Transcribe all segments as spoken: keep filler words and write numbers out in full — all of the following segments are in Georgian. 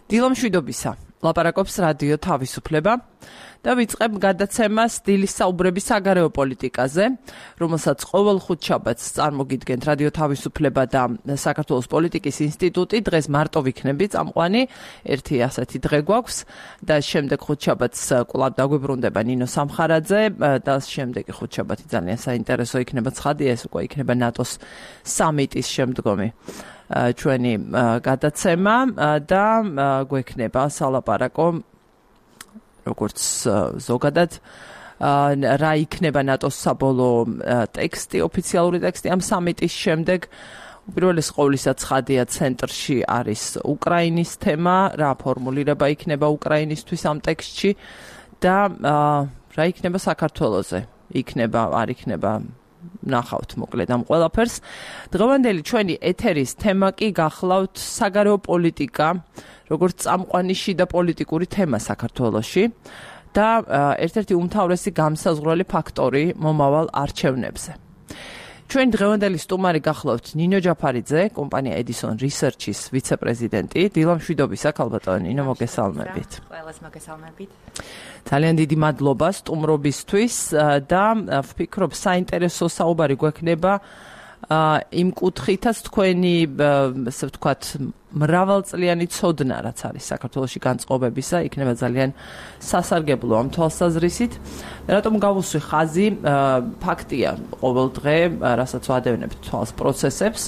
დილო მშვიდობისა. ლაპარაკობს რადიო თავისუფლება და ვიწყებ გადაცემას დილის საუბრების საგარეო პოლიტიკაზე, რომელსაც ყოველ ხუთშაბათს წარმოგიდგენთ რადიო თავისუფლება და საქართველოს პოლიტიკის ინსტიტუტი. დღეს მარტო ვიქნები წამყვანი, ერთი ასეთი დღე გვაქვს და შემდეგ ხუთშაბათს კვლავ დაგვიბრუნდება ნინო სამხარაძე და შემდეგი ხუთშაბათი ძალიან საინტერესო იქნება, ცხადია, ეს უკვე იქნება ნატოს სამიტის შემდგომი ჩვენი გადაცემა და გვექნება სალაპარაკო როგორც ზოგადად რა იქნება ნატოს საბოლოო ტექსტი, ოფიციალური ტექსტი ამ სამიტის შემდეგ. უპირველეს ყოვლისა ცხადია, ცენტრში არის უკრაინის თემა, რა ფორმულირება იქნება უკრაინისთვის ამ ტექსტში და რა იქნება საქართველოზე, იქნება, არ იქნება, ნახავთ მოკლედ ამ ყველაფერს. დღევანდელი ჩვენი ეთერის თემა კი გახლავთ საგარეო პოლიტიკა, როგორც წამყვანი შიდა პოლიტიკური თემა საქართველოში და ერთ-ერთი უმთავრესი გამსაზღვრელი ფაქტორი მომავალ არჩევნებზე. ჩვენ დღევანდელი სტუმარი გახლავთ ნინო ჯაფარიძე, კომპანია Edison Research-ის ვიცე-პრეზიდენტი. დილო მშვიდობისა, ქალბატონო ნინო, მოგესალმებით. ყველას მოგესალმებით. ძალიან დიდი მადლობა სტუმრობისთვის და ვფიქრობ საინტერესო საუბარი გვექნება იმ კუთხითაც თქვენი, ასე ვთქვათ, მრავალწლიანი ცოდნა, რაც არის საქართველოში განწყობებისა, იქნება ძალიან სასარგებლო ამ თვალსაზრისით. რატომ გავუსვი ხაზი, ფაქტია, ყოველ დღე, რასაც ვადევნებთ თვალს პროცესებს,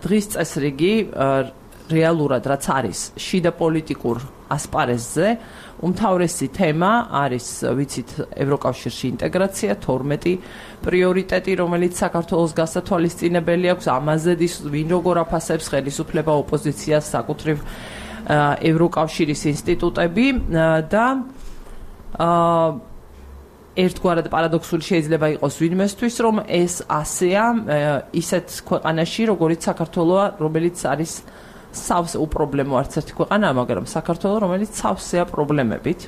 დღის წესრიგი რეალურად რაც არის შიდა პოლიტიკურ ასპარეზზე, უმთავრესი თემა არის, ვიცით, ევროკავშირში ინტეგრაცია, თორმეტი პრიორიტეტი, რომელიც საქართველოს გასათვალისწინებელი აქვს, ამაზე ვინ როგორ აფასებს ხელისუფლება, ოპოზიციას, საკუთრივ ევროკავშირის ინსტიტუტები და ერთგვარად პარადოქსული შეიძლება იყოს ვინმესთვის, რომ ეს ასეა ისეთ ქვეყანაში, როგორიც საქართველოა, რომელიც არის სავსე უპრობლემო არც ერთი ქვეყანაა, მაგრამ საქართველო, რომელიც სავსეა პრობლემებით.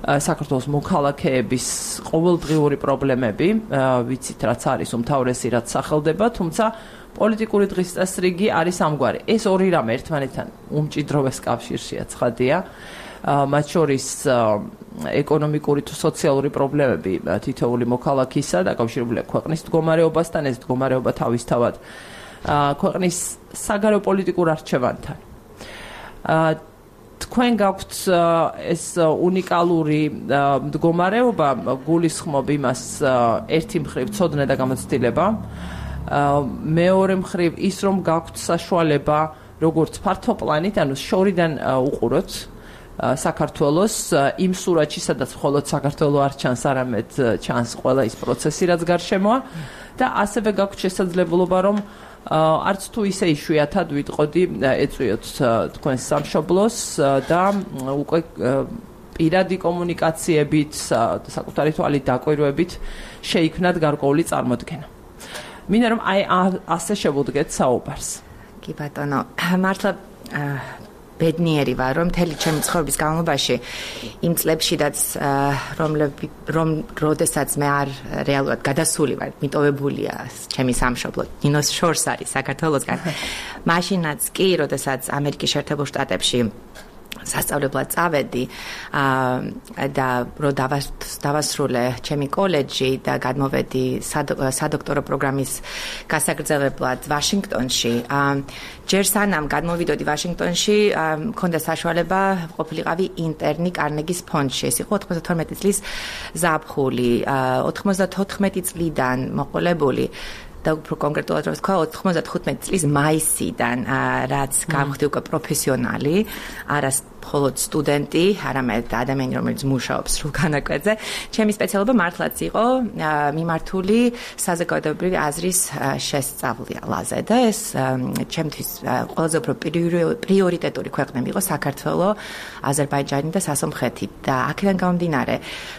საქართველოს მოქალაქეების ყოველდღიური პრობლემები, ვიცით, რაც არის უმთავრესი, რაც სახელდება, თუმცა პოლიტიკური დღის წესრიგი არის ამგვარი. ეს ორი რამე ერთმანეთთან უმჭიდროვეს კავშირშია, ცხადია. მათ შორის ეკონომიკური თუ სოციალური პრობლემები თითოეული მოქალაქისა დაკავშირებულია ქვეყნის მდგომარეობასთან, ეს მდგომარეობა თავისთავად ქვეყნის საგარეო პოლიტიკურ არჩევანთან. თქვენ გაქვთ ეს უნიკალური მდგომარეობა, გულისხმობ იმას ერთი მხრივ ცოდნა და გამოცდილება, მეორე მხრივ ის, რომ გაქვთ საშუალება როგორც ფართო პლანით, ანუ შორიდან უყუროთ საქართველოს იმ სურათში, სადაც მხოლოდ საქართველო არ ჩანს, არამედ ჩანს ყველა ის პროცესი, რაც გარშემოა და ასევე გაქვთ შესაძლებლობა, რომ არც თუ ისე იშვიათად ვიტყოდი, ეწვიოთ თქვენს სამშობლოს და უკვე პირადი კომუნიკაციებით, საკუთარი თვალით დაკვირვებით შეიქმნათ გარკვეული წარმოდგენა. მინდა რომ აი ასე შევუდგეთ საუბარს. კი ბატონო, მართლა ბედნიერი ვარ, რომ მთელი ჩემი ცხოვრების განმავლობაში იმ წლებშიდაც, რომ როდესაც მე არ რეალურად გადასული ვარ, მიტოვებულია ჩემი სამშობლო, ნინოს შორს არის საქართველოსგან. მაშინაც კი, როდესაც ამერიკის შეერთებულ შტატებში სასწავლებლად წავედი და რო დავასრულე ჩემი კოლეჯი და გადმოვედი სადოქტორო პროგრამის გასაგრძელებლად ვაშინგტონში. ჯერ სანამ გადმოვიდოდი ვაშინგტონში, მქონდა საშუალება ყოფილიყავი ინტერნი კარნეგის ფონდში. ეს იყო ოცდათორმეტი წლის ზაფხული, ოცდათოთხმეტი წლიდან მოყოლებული და უფრო კონკრეტულად რომ ვთქვა, ოცდათხუთმეტი წლის მაისიდან, რაც გავხდი უკვე პროფესიონალი, არა მხოლოდ სტუდენტი, არამედ ადამიანი, რომელიც მუშაობს სრულ განაკვეთზე. ჩემი სპეციალობა მართლაც იყო მიმართული საზოგადოებრივი აზრის შესწავლაზე და ეს ჩემთვის ყველაზე უფრო პრიორიტეტული ქვეყნები იყო საქართველო, აზერბაიჯანი და სასომხეთი და აქედან გამომდინარე,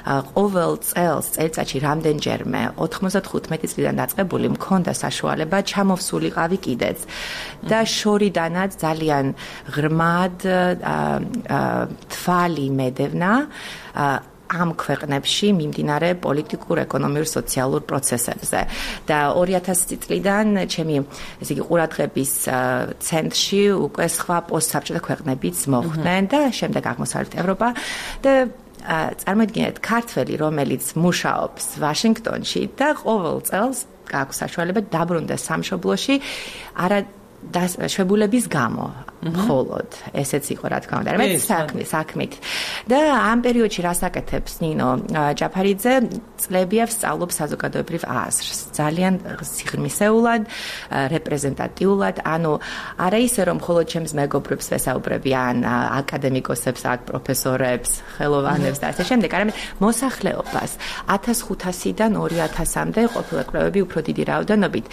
ყოველ წელს წელიწადში რამდენჯერმე ოცდათხუთმეტი წლიდან დაწყებული მქონდა საშუალება ჩამოვსულიყავი კიდეც და შორიდანაც ძალიან ღრმად თვალი მედევნა ამ ქვეყნებში მიმდინარე პოლიტიკურ, ეკონომიურ, სოციალურ პროცესებზე. და ორი ათასი წლიდან ჩემი ესე იგი ყურადღების ცენტრში უკვე სხვა პოსტსაბჭოთა ქვეყნებიც მოხვდნენ და შემდეგ აღმოსავლეთ ევროპა და წარმოიდგინეთ ქართველი, რომელიც მუშაობს ვაშინგტონში და ყოველ წელს აქვს საშუალება დაბრუნდეს სამშობლოში არა დაშვებულების გამო მხოლოდ ესეც იყო რა თქმა უნდა მე საქმე საქმით და ამ პერიოდში რას აკეთებს ნინო ჯაფარიძე წლებია ვსწავლობს საზოგადოებრივ აზრს ძალიან სიღრმისეულად რეპრეზენტატიულად ანუ არა ისე რომ მხოლოდ ჩემს მეგობრებს ვესაუბრები ან აკადემიკოსებს აქ პროფესორებს ხელოვანებს და ასე შემდეგ არამედ მოსახლეობას ათას ხუთასიდან ორი ათასამდე ყოფილა კვლევები უფრო დიდი რაოდენობით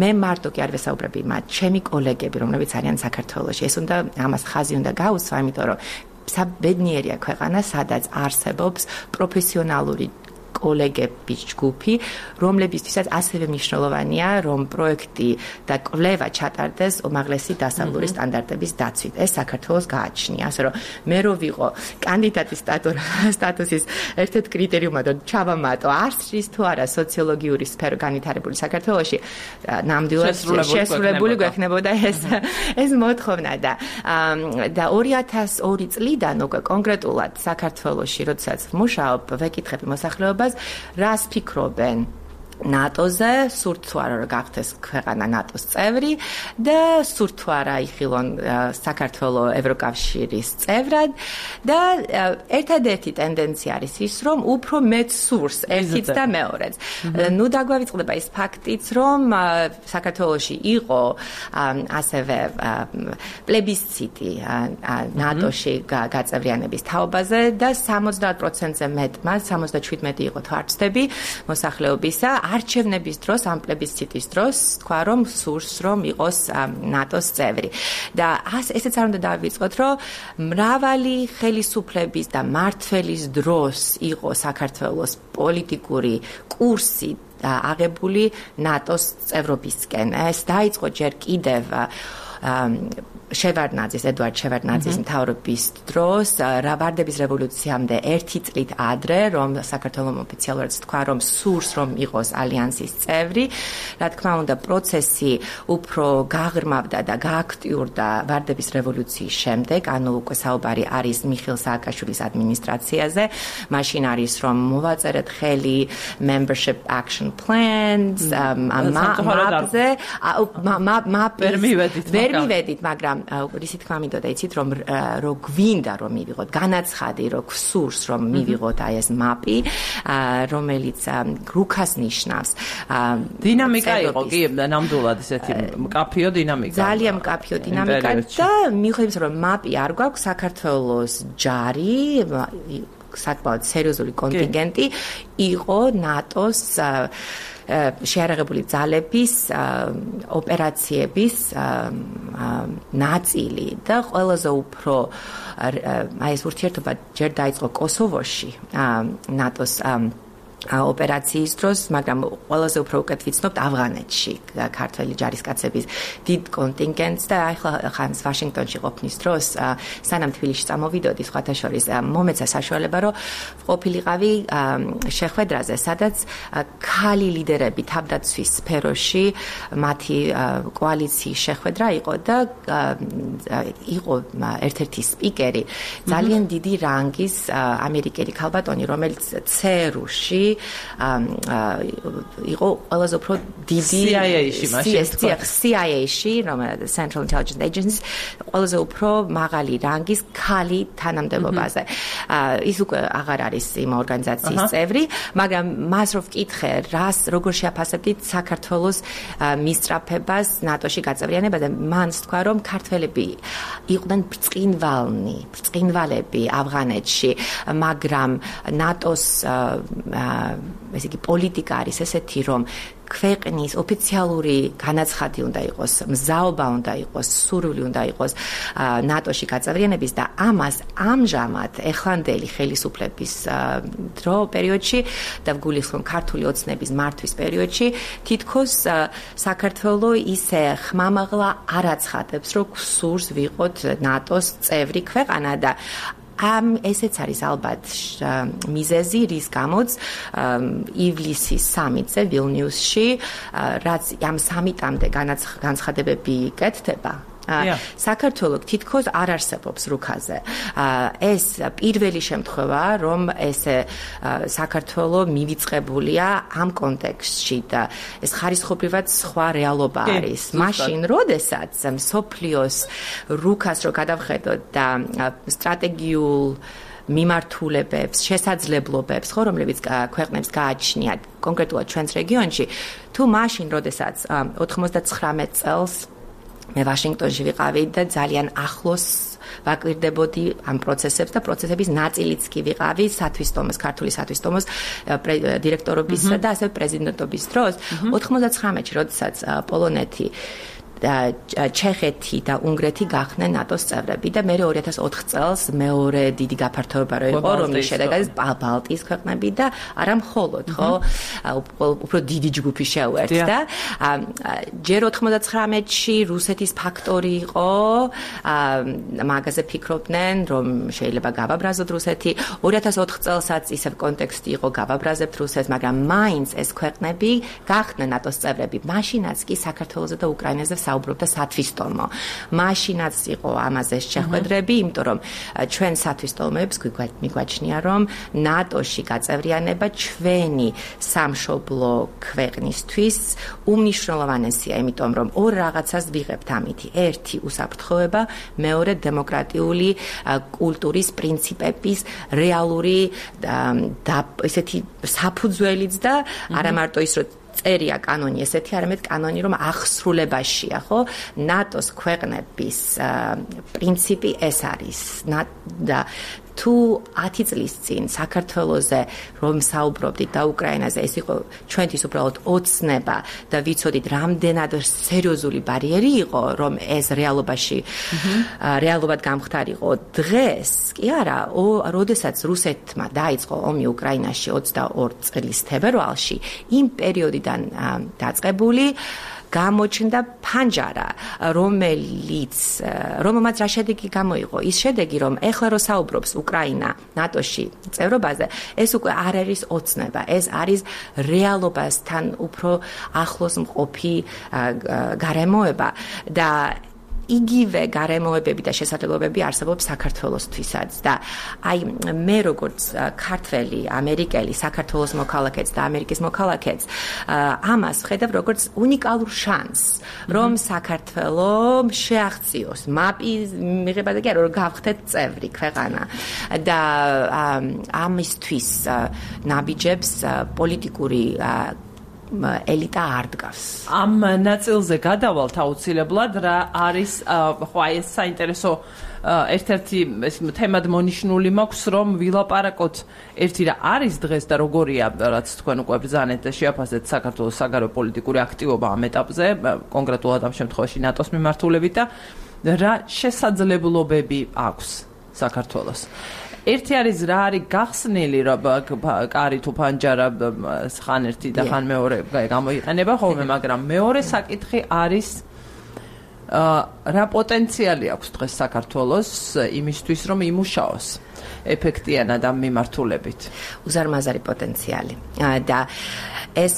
მე მარტო კი არ ვესაუბრები მათ ჩემი კოლეგები რომლებიც არიან საქართველოში ეს უნდა ამას ხაზი უნდა გაუსვა იმიტომ რომ საბედნიერია ქვეყანა სადაც არსებობს პროფესიონალური კოლეგების ჯგუფი რომლებისთვისაც ასევე მნიშვნელოვანია რომ პროექტი და კვლევა ჩატარდეს უმაღლესი დასავლური სტანდარტების დაცვით ეს საქართველოს გააჩნია ასე რომ მე რო ვიყო კანდიდატის სტატუსის ერთ-ერთ კრიტერიუმად რომ ჩავამატო არსის თუ არა სოციოლოგიური სფერო განვითარებული საქართველოში ნამდვილად შესრულებული გვექნებოდა ეს ეს მოთხოვნა და და ორი ათას ორი წლიდან უკვე კონკრეტულად საქართველოში როდესაც ვმუშაობ ვეკითხები მოსახლეობას რას ფიქრობენ ნატოზე, სურთ თუ არა რომ გახდეს ქვეყანა ნატოს წევრი და სურთ თუ არა იხილონ საქართველოს ევროკავშირის წევრად და ერთადერთი ტენდენცია არის ის რომ უფრო მეც სურს ერთიც და მეორეც. ნუ დაგვავიწყდება ის ფაქტიც რომ საქართველოში იყო ასევე პლებისციტი ნატოში გაწევრიანების თაობაზე და სამოცდაათ პროცენტზე მეტმა სამოცდაშვიდმეტი იყო თუ არ ვცდები მოსახლეობისა არჩევნების დროს ამ პლებისციტის დროს თქვა რომ სურს რომ იყოს ნატოს წევრი და ესეც არ უნდა დავიწყოთ რომ მრავალი ხელისუფლების და მმართველის დროს იყო საქართველოს პოლიტიკური კურსი აღებული ნატოს წევრობისკენ ეს დაიწყო ჯერ კიდევ შევარდნაძის ედვარდ შევარდნაძის მთავრობის დროს ვარდების რევოლუციამდე ერთი წლით ადრე რომ საქართველოს ოფიციალურად თქვა რომ სურს რომ იყოს ალიანსის წევრი რა თქმა უნდა პროცესი უფრო გაღრმავდა და გააქტიურდა ვარდების რევოლუციის შემდეგ ანუ უკვე საუბარი არის მიხეილ სააკაშვილის ადმინისტრაციაზე მაშინ არის რომ მოვაწერეთ ხელი membership action plans მაპზე ვერ მივედით მაგრამ რისი თქმა მინდოდა იცით რომ რო გვინდა რომ მივიღოთ განაცხადი რო გსურს რომ მივიღოთ აი ეს მაპი რომელიც რუქას ნიშნავს დინამიკა იყო კი ნამდვილად ესეთი მკაფიო დინამიკა ძალიან მკაფიო დინამიკა და მიხედავს რომ მაპი არ გვაქვს საქართველოს ჯარი საკმაოდ სერიოზული კონტინგენტი იყო ნატოს შეარაღებული ძალების ოპერაციების ნაწილი და ყველაზე უფრო აი ეს ურთიერთობა ჯერ დაიწყო კოსოვოში ნატოს ოპერაციის დროს, მაგრამ ყველაზე უფრო უკეთ ვიცნობთ ავღანეთში ქართველი ჯარისკაცების დიდ კონტინგენტს და ახლა ხანს ვაშინგტონში ყოფნის დროს სანამ თბილისში წამოვიდოდი სხვათა შორის მომეცა საშუალება რომ ყოფილიყავი შეხვედრაზე, სადაც ქალი ლიდერები თავდაცვის სფეროში მათი კოალიციის შეხვედრა იყო და იყო ერთ-ერთი სპიკერი ძალიან დიდი რანგის ამერიკელი ქალბატონი, რომელიც ცერუში იყო ყველაზე უფრო დიდი C I A-ში მაშინ C I A-ში, რომელიც Central Intelligence Agency, ყველაზე უფრო მაღალი რანგის ქალი თანამდებობაზე. ის უკვე აღარ არის იმ ორგანიზაციის წევრი, მაგრამ მას რო ვკითხე, რას როგორ შეაფასებდით საქართველოს მისწრაფებას ნატოში გაწევრიანებაზე, მან თქვა, რომ ქართველები იყვნენ ბრწყინვალნი, ბრწყინვალები ავღანეთში, მაგრამ ნატოს ესე იგი პოლიტიკა არის ესეთი რომ ქვეყნის ოფიციალური განაცხადი უნდა იყოს, მზაობა უნდა იყოს, სურვილი უნდა იყოს ნატოში გაწევრიანების და ამას ამჟამად ეხლანდელი ხელისუფლების დრო პერიოდში და ვგულისხმობ ქართული ოცნების მართვის პერიოდში თითქოს საქართველოს ისე ხმამაღლა არ აცხადებს, რომ სურს ვიყოთ ნატოს წევრი ქვეყანა და ამ ესეც არის ალბათ მიზეზი, რის გამოც ივლისის სამიტზე ვილნიუსში, რაც ამ სამიტამდე განცხადებები კეთდება. საქართველოს თითქოს არ არსებობს რუქაზე. ეს პირველი შემთხვევა, რომ ესე საქართველოს მივიწყებულია ამ კონტექსტში და ეს ხარისხობრივად სხვა რეალობა არის. მაშინ, როდესაც მსოფლიოს რუქას რო გადავხედოთ და სტრატეგიულ მიმართულებებს, შესაძლებლობებს, ხო, რომლებიც ქვეყნებს გააჩნიათ კონკრეტულად ჩვენს რეგიონში, თუ მაშინ, როდესაც ოთხმოცდათხრამეტ წელს მე ვაშინგტონში ვიყავი და ძალიან ახლოს ვაკვირდებოდი ამ პროცესებს და პროცესების ნაწილიც კი ვიყავი სათვისტომოს, ქართული სათვისტომოს დირექტორობისა და ასევე პრეზიდენტობის დროს. ოთხმოცდათხრამეტში, როდესაც პოლონეთი ჩეხეთი და უნგრეთი გახდნენ ნატოს წევრები და მე ორი ათას ოთხ წელს მეორე დიდი გაფართოება რო იყო, რომლის შედეგადაც ბალტიის ქვეყნები და არა მხოლოდ, ხო, უფრო დიდი ჯგუფი შეუერთდა. ჯერ ოთხმოცდათხრამეტში რუსეთის ფაქტორი იყო, მაგაზე ფიქრობდნენ, რომ შეიძლება გავაბრაზოთ რუსეთი. ორი ათას ოთხ წელსაც ისევ კონტექსტი იყო, გავაბრაზებთ რუსეთს, მაგრამ მაინც ეს ქვეყნები გახდნენ ნატოს წევრები. მაშინაც კი საქართველოსა და უკრაინაზე საუბრობდა სათვისტომო. მაშინაც იყო ამაზე შეხვედრები, იმიტომ რომ ჩვენ სათვისტომოებს მიგვაჩნია, რომ ნატოში გაწევრიანება ჩვენი სამშობლო ქვეყნისთვის უმნიშვნელოვანესია, იმიტომ რომ ორ რაღაცას ვიღებთ ამითი. ერთი უსაფრთხოება, მეორე დემოკრატიული კულტურის პრინციპების რეალური და ესეთი საფუძველიც და არა მარტო ის რომ წერია კანონი ესეთი, არამედ კანონი რომ აღსრულებაშია, ხო? ნატოს ქვეყნების პრინციპი ეს არის. და თუ ათი წლის წინ საქართველოზე რომ საუბრობდით და უკრაინაზე, ეს იყო ჩვენთვის უბრალოდ ოცნება და ვიცოდით რამდენად სერიოზული ბარიერი იყო, რომ ეს რეალობაში რეალობად გამხდარიყო. დღეს კი არა, როდესაც რუსეთმა დაიწყო ომი უკრაინაში ოცდაორი წლის თებერვალში, იმ პერიოდიდან დაწყებული გამოჩნდა ფანჯარა, რომელიც რომელმაც რა შედეგი გამოიღო. ის შედეგი, რომ ეხლა რო საუბრობს უკრაინა ნატოში წევრობაზე, ეს უკვე არ არის ოცნება, ეს არის რეალობასთან უფრო ახლოს მყოფი გარემოება და იგივე გარემოებები და შესაძლებლობები არსებობს საქართველოსთვისაც და აი მე როგორც ქართველი, ამერიკელი, საქართველოს მოქალაქეც და ამერიკის მოქალაქეც ამას ვხედავ როგორც უნიკალურ შანსს, რომ საქართველო შეაღწიოს მაპის მიღება და კი არა, რომ გავხდეთ წევრი ქვეყანა და ამისთვის ნაბიჯებს პოლიტიკური ელიტა არ დგას. ამ ნაწილზე გადავალთ აუცილებლად, რა არის, ხო, აი ეს საინტერესო ერთ-ერთი თემად მონიშნული მაქვს, რომ ვილაპარაკოთ ერთი რა არის დღეს და როგორია, რაც თქვენ უკვე ბრძანეთ და შეაფასეთ საქართველოს საგარეო პოლიტიკური აქტივობა ამ ეტაპზე, კონკრეტულად ამ შემთხვევაში ნატოს მიმართულებით და რა შესაძლებლობები აქვს საქართველოს. ერთი არის რა არის გახსნილი, რომ კარი თუ ფანჯარა ხან ერთი და ხან მეორე გამოიყენება ხოლმე, მაგრამ მეორე საკითხი არის რა პოტენციალი აქვს დღეს საქართველოს იმისთვის, რომ იმუშაოს ეფექტიანად ამ მიმართულებით. უზარმაზარი პოტენციალი და ეს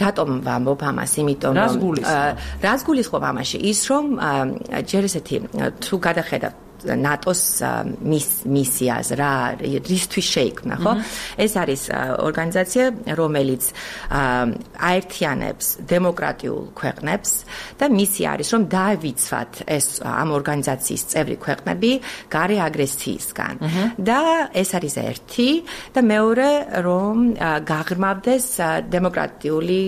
რატომ ვამბობ ამას, იმიტომ რომ რას გულისხმობ ამაში? ის რომ ჯერ ესეთი თუ გადახედავთ ნატოს მისიას რა რისთვის შეიქმნა, ხო? ეს არის ორგანიზაცია, რომელიც აერთიანებს დემოკრატიულ ქვეყნებს და მისია არის, რომ დაავიცვათ ეს ამ ორგანიზაციის წევრი ქვეყნები გარე აგრესიისგან. და ეს არის ერთი და მეორე, რომ გაღრმავდეს დემოკრატიული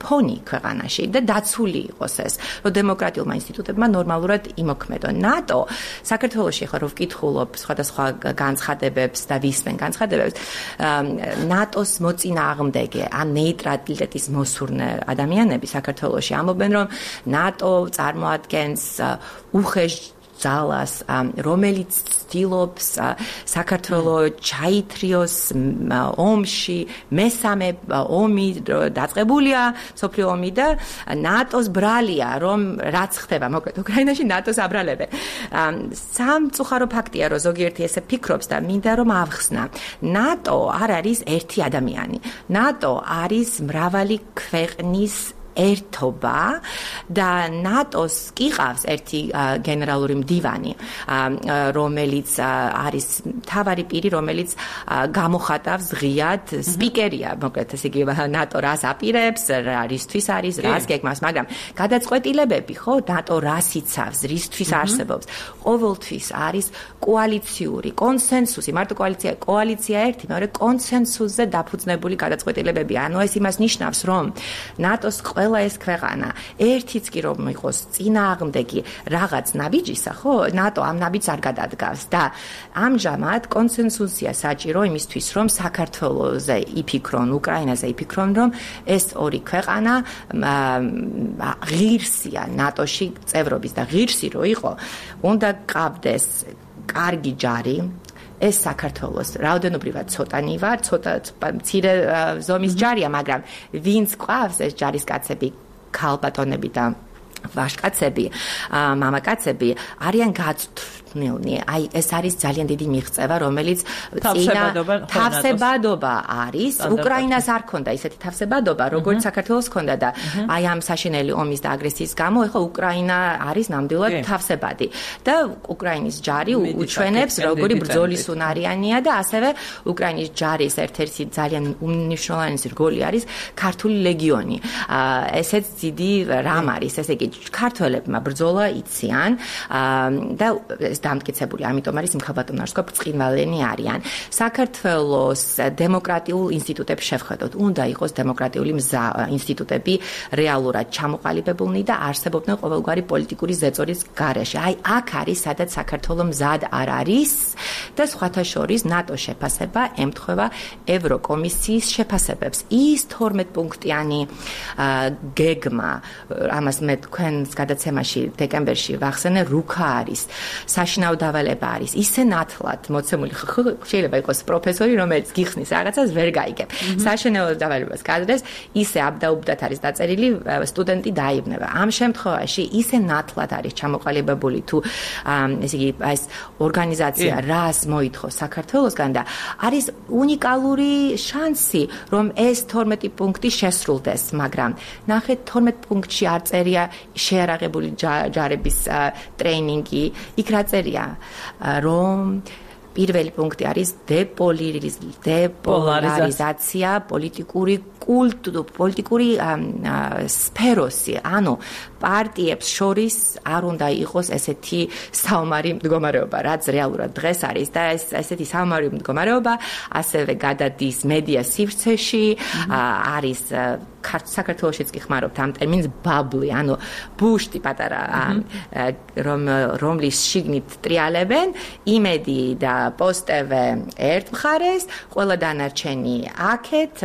ფონი ქვეყანაში და დაცული იყოს ეს, რომ დემოკრატიულმა ინსტიტუტებმა ნორმალურად იმოქმედონ. ნატო საქართველოში ახლა რო ვკითხულობ სხვადასხვა განცხადებებს და ვისმენ განცხადებებს, ნატოს მოწინააღმდეგე ან ნეიტრალიტეტის მოსურნე ადამიანები საქართველოში ამბობენ, რომ ნატო წარმოადგენს უხეშ ძალას, რომელიც ცდილობს საქართველოს ჩაითრიოს ომში, მესამე ომი დაწყებულია, სოფლიო ომი და ნატოს ბრალია, რომ რაც ხდება, მოკლედ უკრაინაში ნატოს აბრალებენ. სამწუხარო ფაქტია, რომ ზოგიერთი ესე ფიქრობს და მინდა რომ ავხსნა. ნატო არ არის ერთი ადამიანი. ნატო არის მრავალი ქვეყნის ერთობა და ნატოს კი ყავს ერთი გენერალური მდივანი, რომელიც არის თავარი პირი, რომელიც გამოხატავს ღიად სპიკერია, მოკლედ ესე იგი ნატო რას აპირებს, რისთვის არის, რას გეგმავს, მაგრამ გადაწყვეტილებები, ხო, ნატო რას იცავს, რისთვის არსებობს, ყოველთვის არის კოალიციური კონსენსუსი, მარტო კოალიცია, კოალიცია ერთი, მეორე კონსენსუსზე დაფუძნებული გადაწყვეტილებები. ანუ ეს იმას ნიშნავს, რომ ნატოს ყველა ეს ქვეყანა ერთიც კი რომ იყოს წინააღმდეგი რაღაც ნაბიჯისა, ხო, ნატო ამ ნაბიჯს არ გადადგავს და ამჟამად კონსენსუსია საჭირო იმისთვის, რომ საქართველოზე იფიქრონ, უკრაინაზე იფიქრონ, რომ ეს ორი ქვეყანა ღირსია ნატოში წევრობის და ღირსი რო იყო, უნდა გყავდეს კარგი ჯარი. ეს საქართველოს რაოდენობრივად ცოტანი ვარ, ცოტა მცირე ზომის ჯარია, მაგრამ ვინც ყავს ეს ჯარისკაცები, ქალბატონები და ვაჟკაცები, მამაკაცები არიან გაწვნილნი. აი ეს არის ძალიან დიდი მიღწევა, რომელიც წინა თავსებადობა არის. უკრაინას არ ქონდა ისეთი თავსებადობა, როგორც საქართველოს ქონდა და აი ამ საშინელი ომის და აგრესიის გამო ეხლა უკრაინა არის ნამდვილად თავსებადი და უკრაინის ჯარი უჩვენებს როგორი ბრძოლის უნარიანია და ასევე უკრაინის ჯარის ერთ-ერთი ძალიან უმნიშვნელოვანესი რგოლი არის ქართული ლეგიონი. ესეც დიდი რამ არის, ესე იგი ქართველებმა ბრძოლა იციან და ეს დამტკიცებული, ამიტომ არის იმ ხალბატონებს ვთქვა ბრწყინვალენი არიან. საქართველოს დემოკრატიულ ინსტიტუტებს შევხედოთ, უნდა იყოს დემოკრატიული ინსტიტუტები რეალურად ჩამოყალიბებულნი და არსებობდნენ ყოველგვარი პოლიტიკური ზეწოლის გარეშე. აი აქ არის, სადაც საქართველოს მზად არ არის და სხვათა შორის ნატოს შეფასება ემთხვევა ევროკომისიის შეფასებებს. ის თორმეტ პუნქტიანი გეგმა, ამას მე თქვენს გადაცემაში დეკემბერში ვახსენე, რუქა არის, საშინაო დავალება არის, ისე ნათლად მოცემული, შეიძლება იყოს პროფესორი, რომელიც გიხსნის რაღაცას, ვერ გაიგებ. საშინაო დავალებას გაძლევს, ისე აბდაუბდათ არის დაწერილი, სტუდენტი დაიბნება. ამ შემთხვევაში ისე ნათლად არის ჩამოყალიბებული თუ ესე იგი ეს ორგანიზაცია რას მოითხოვს საქართველოსგან და არის უნიკალური შანსი, რომ ეს თორმეტი პუნქტი შესრულდეს, მაგრამ ნახეთ თორმეტ პუნქტში არ წერია შეარაღებული ჯარების ტრეინინგი, იქ რა წერია, რომ პირველი პუნქტი არის დეპოლარიზაცია, პოლიტიკური კულტურა, პოლიტიკური სფეროსი, ანუ პარტიებს შორის არ უნდა იყოს ესეთი საომარი მდგომარეობა, რაც რეალურად დღეს არის და ეს ესეთი საომარი მდგომარეობა ასევე გადადის მედია სივრცეში, არის საქართველოშიც კი ხმარობთ ამ ტერმინს ბაბლი, ანუ ბუშტი პატარა, რომ რომლის შიგნით ტრიალებენ, იმედი და პოსტევე ერთ მხარეს, ყველა დანარჩენი აქეთ,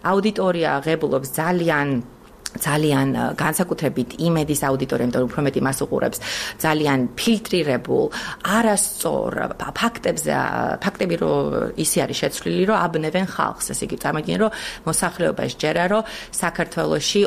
აუდიტორია ღებულობს ძალიან ძალიან განსაკუთრებით იმედის აუდიტორია, იმიტომ რომ უფრო მეტი მას უყურებს, ძალიან ფილტრირებულ, არასწორ ფაქტებზე, ფაქტები რო ისე არის შეცვლილი, რომ აბნევენ ხალხს, ესე იგი წარმოგიდგენ, რომ მოსახლეობა შეერა, რომ საქართველოში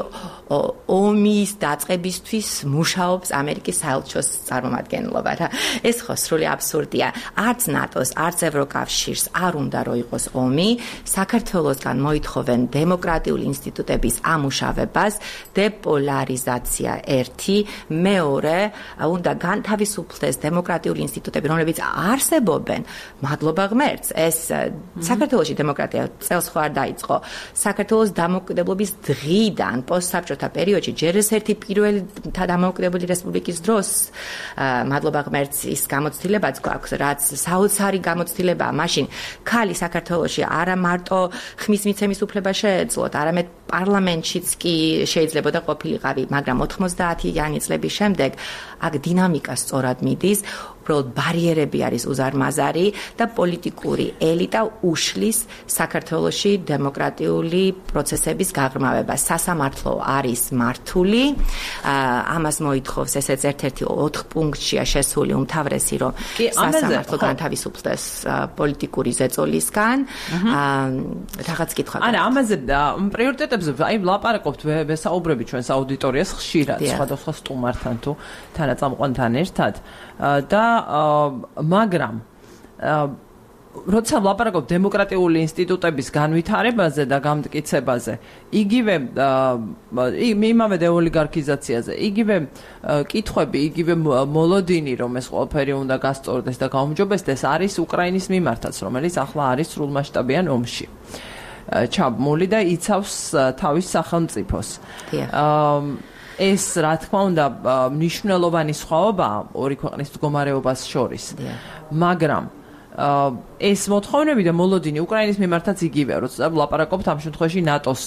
ომის დაწყებისთვის მუშაობს ამერიკის საელჩოს წარმომადგენლობა რა. ეს ხო სრული აბსურდია. არც ნატოს, არც ევროკავშირს არ უნდა რომ იყოს ომი, საქართველოსგან მოითხოვენ დემოკრატიული ინსტიტუტების ამუშავებას, დეპოლარიზაცია ერთი, მეორე, უნდა განთავისუფლდეს დემოკრატიული ინსტიტუტები, რომლებიც არსებობენ, მადლობა ღმერთს, ეს საქართველოში დემოკრატია წელს ხო არ დაიწყო. საქართველოს დამოუკიდებლობის დღიდან, პოსტსაბჭოთა პერიოდში, ჯერ ერთი პირველი დამოუკიდებელი რესპუბლიკის დროს, მადლობა ღმერთს, ის გამოცდილებაც გვაქვს, რაც საოცარი გამოცდილებაა. მაშინ ქალი საქართველოში არა მარტო ხმის მიცემის უფლება შეეძლოთ, არამედ პარლამენტშიც კი შეიძლება და ყოფილიყავი, მაგრამ ოთხმოცდაათიანი წლების შემდეგ აქ დინამიკა სწორად მიდის, უბრალოდ ბარიერები არის უზარმაზარი და პოლიტიკური ელიტა უშლის საქართველოში დემოკრატიული პროცესების გაღრმავებას. სასამართლო არის მართული, ამას მოითხოვს ესეც ერთ-ერთი ოთხ პუნქტშია შესული უმთავრესი, რომ სასამართლო განთავისუფლდეს პოლიტიკური ზეწოლისგან. რაღაც კითხვა. არა, ამაზე პრიორიტეტებზე აი ვლაპარაკობთ ვესაუბრები ჩვენს აუდიტორიას ხშირად, სხვადასხვა სტუმართან თუ თანაწამყვანთან ერთად და მაგრამ როცა ვლაპარაკობ დემოკრატიული ინსტიტუტების განვითარებაზე და გამტკიცებაზე, იგივე იმავე დეოლიგარქიზაციაზე, იგივე კითხვები, იგივე მოლოდინი, რომ ეს ყველაფერი უნდა გასწორდეს და გაუმჯობესდეს, არის უკრაინის მიმართაც, რომელიც ახლა არის სრულმასშტაბიან ომში ჩაბმული და იცავს თავის სახელმწიფოს. ეს რა თქმა უნდა მნიშვნელოვანი სხვაობაა ორი ქვეყნის მდგომარეობას შორის. მაგრამ ეს მოთხოვნები და მოლოდინი უკრაინის მიმართაც იგივეა, როცა ვლაპარაკობთ ამ შემთხვევაში ნატოს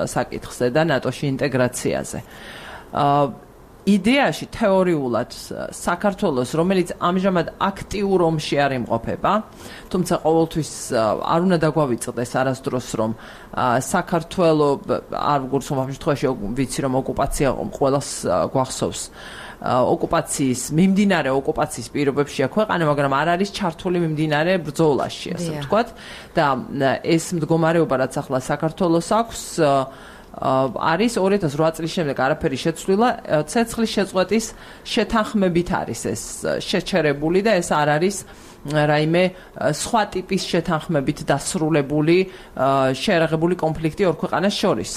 საკითხზე და ნატოში ინტეგრაციაზე. იდეაში თეორიულად საქართველოს, რომელიც ამჟამად აქტიურ ომში არ იმყოფება, თუმცა ყოველთვის არ უნდა დაგვავიწყდეს არასდროს, რომ საქართველო არ ვგურს ამ შემთხვევაში ვიცი რომ ოკუპაცია ყველას გვახსოვს. ოკუპაციის მიმდინარე ოკუპაციის პირობებშია ქვეყანა, მაგრამ არ არის ჩართული მიმდინარე ბრძოლაში, ასე ვთქვათ, და ეს მდგომარეობა, რაც ახლა საქართველოს აქვს, არის ორი ათას ოთხ წლის შემდეგ არაფერი შეცვლილა, ცეცხლის შეწყვეტის შეთანხმებით არის ეს შეჩერებული და ეს არ არის რაიმე სხვა ტიპის შეთანხმებით დასრულებული შეერაღებული კონფლიქტი ორ ქვეყანას შორის.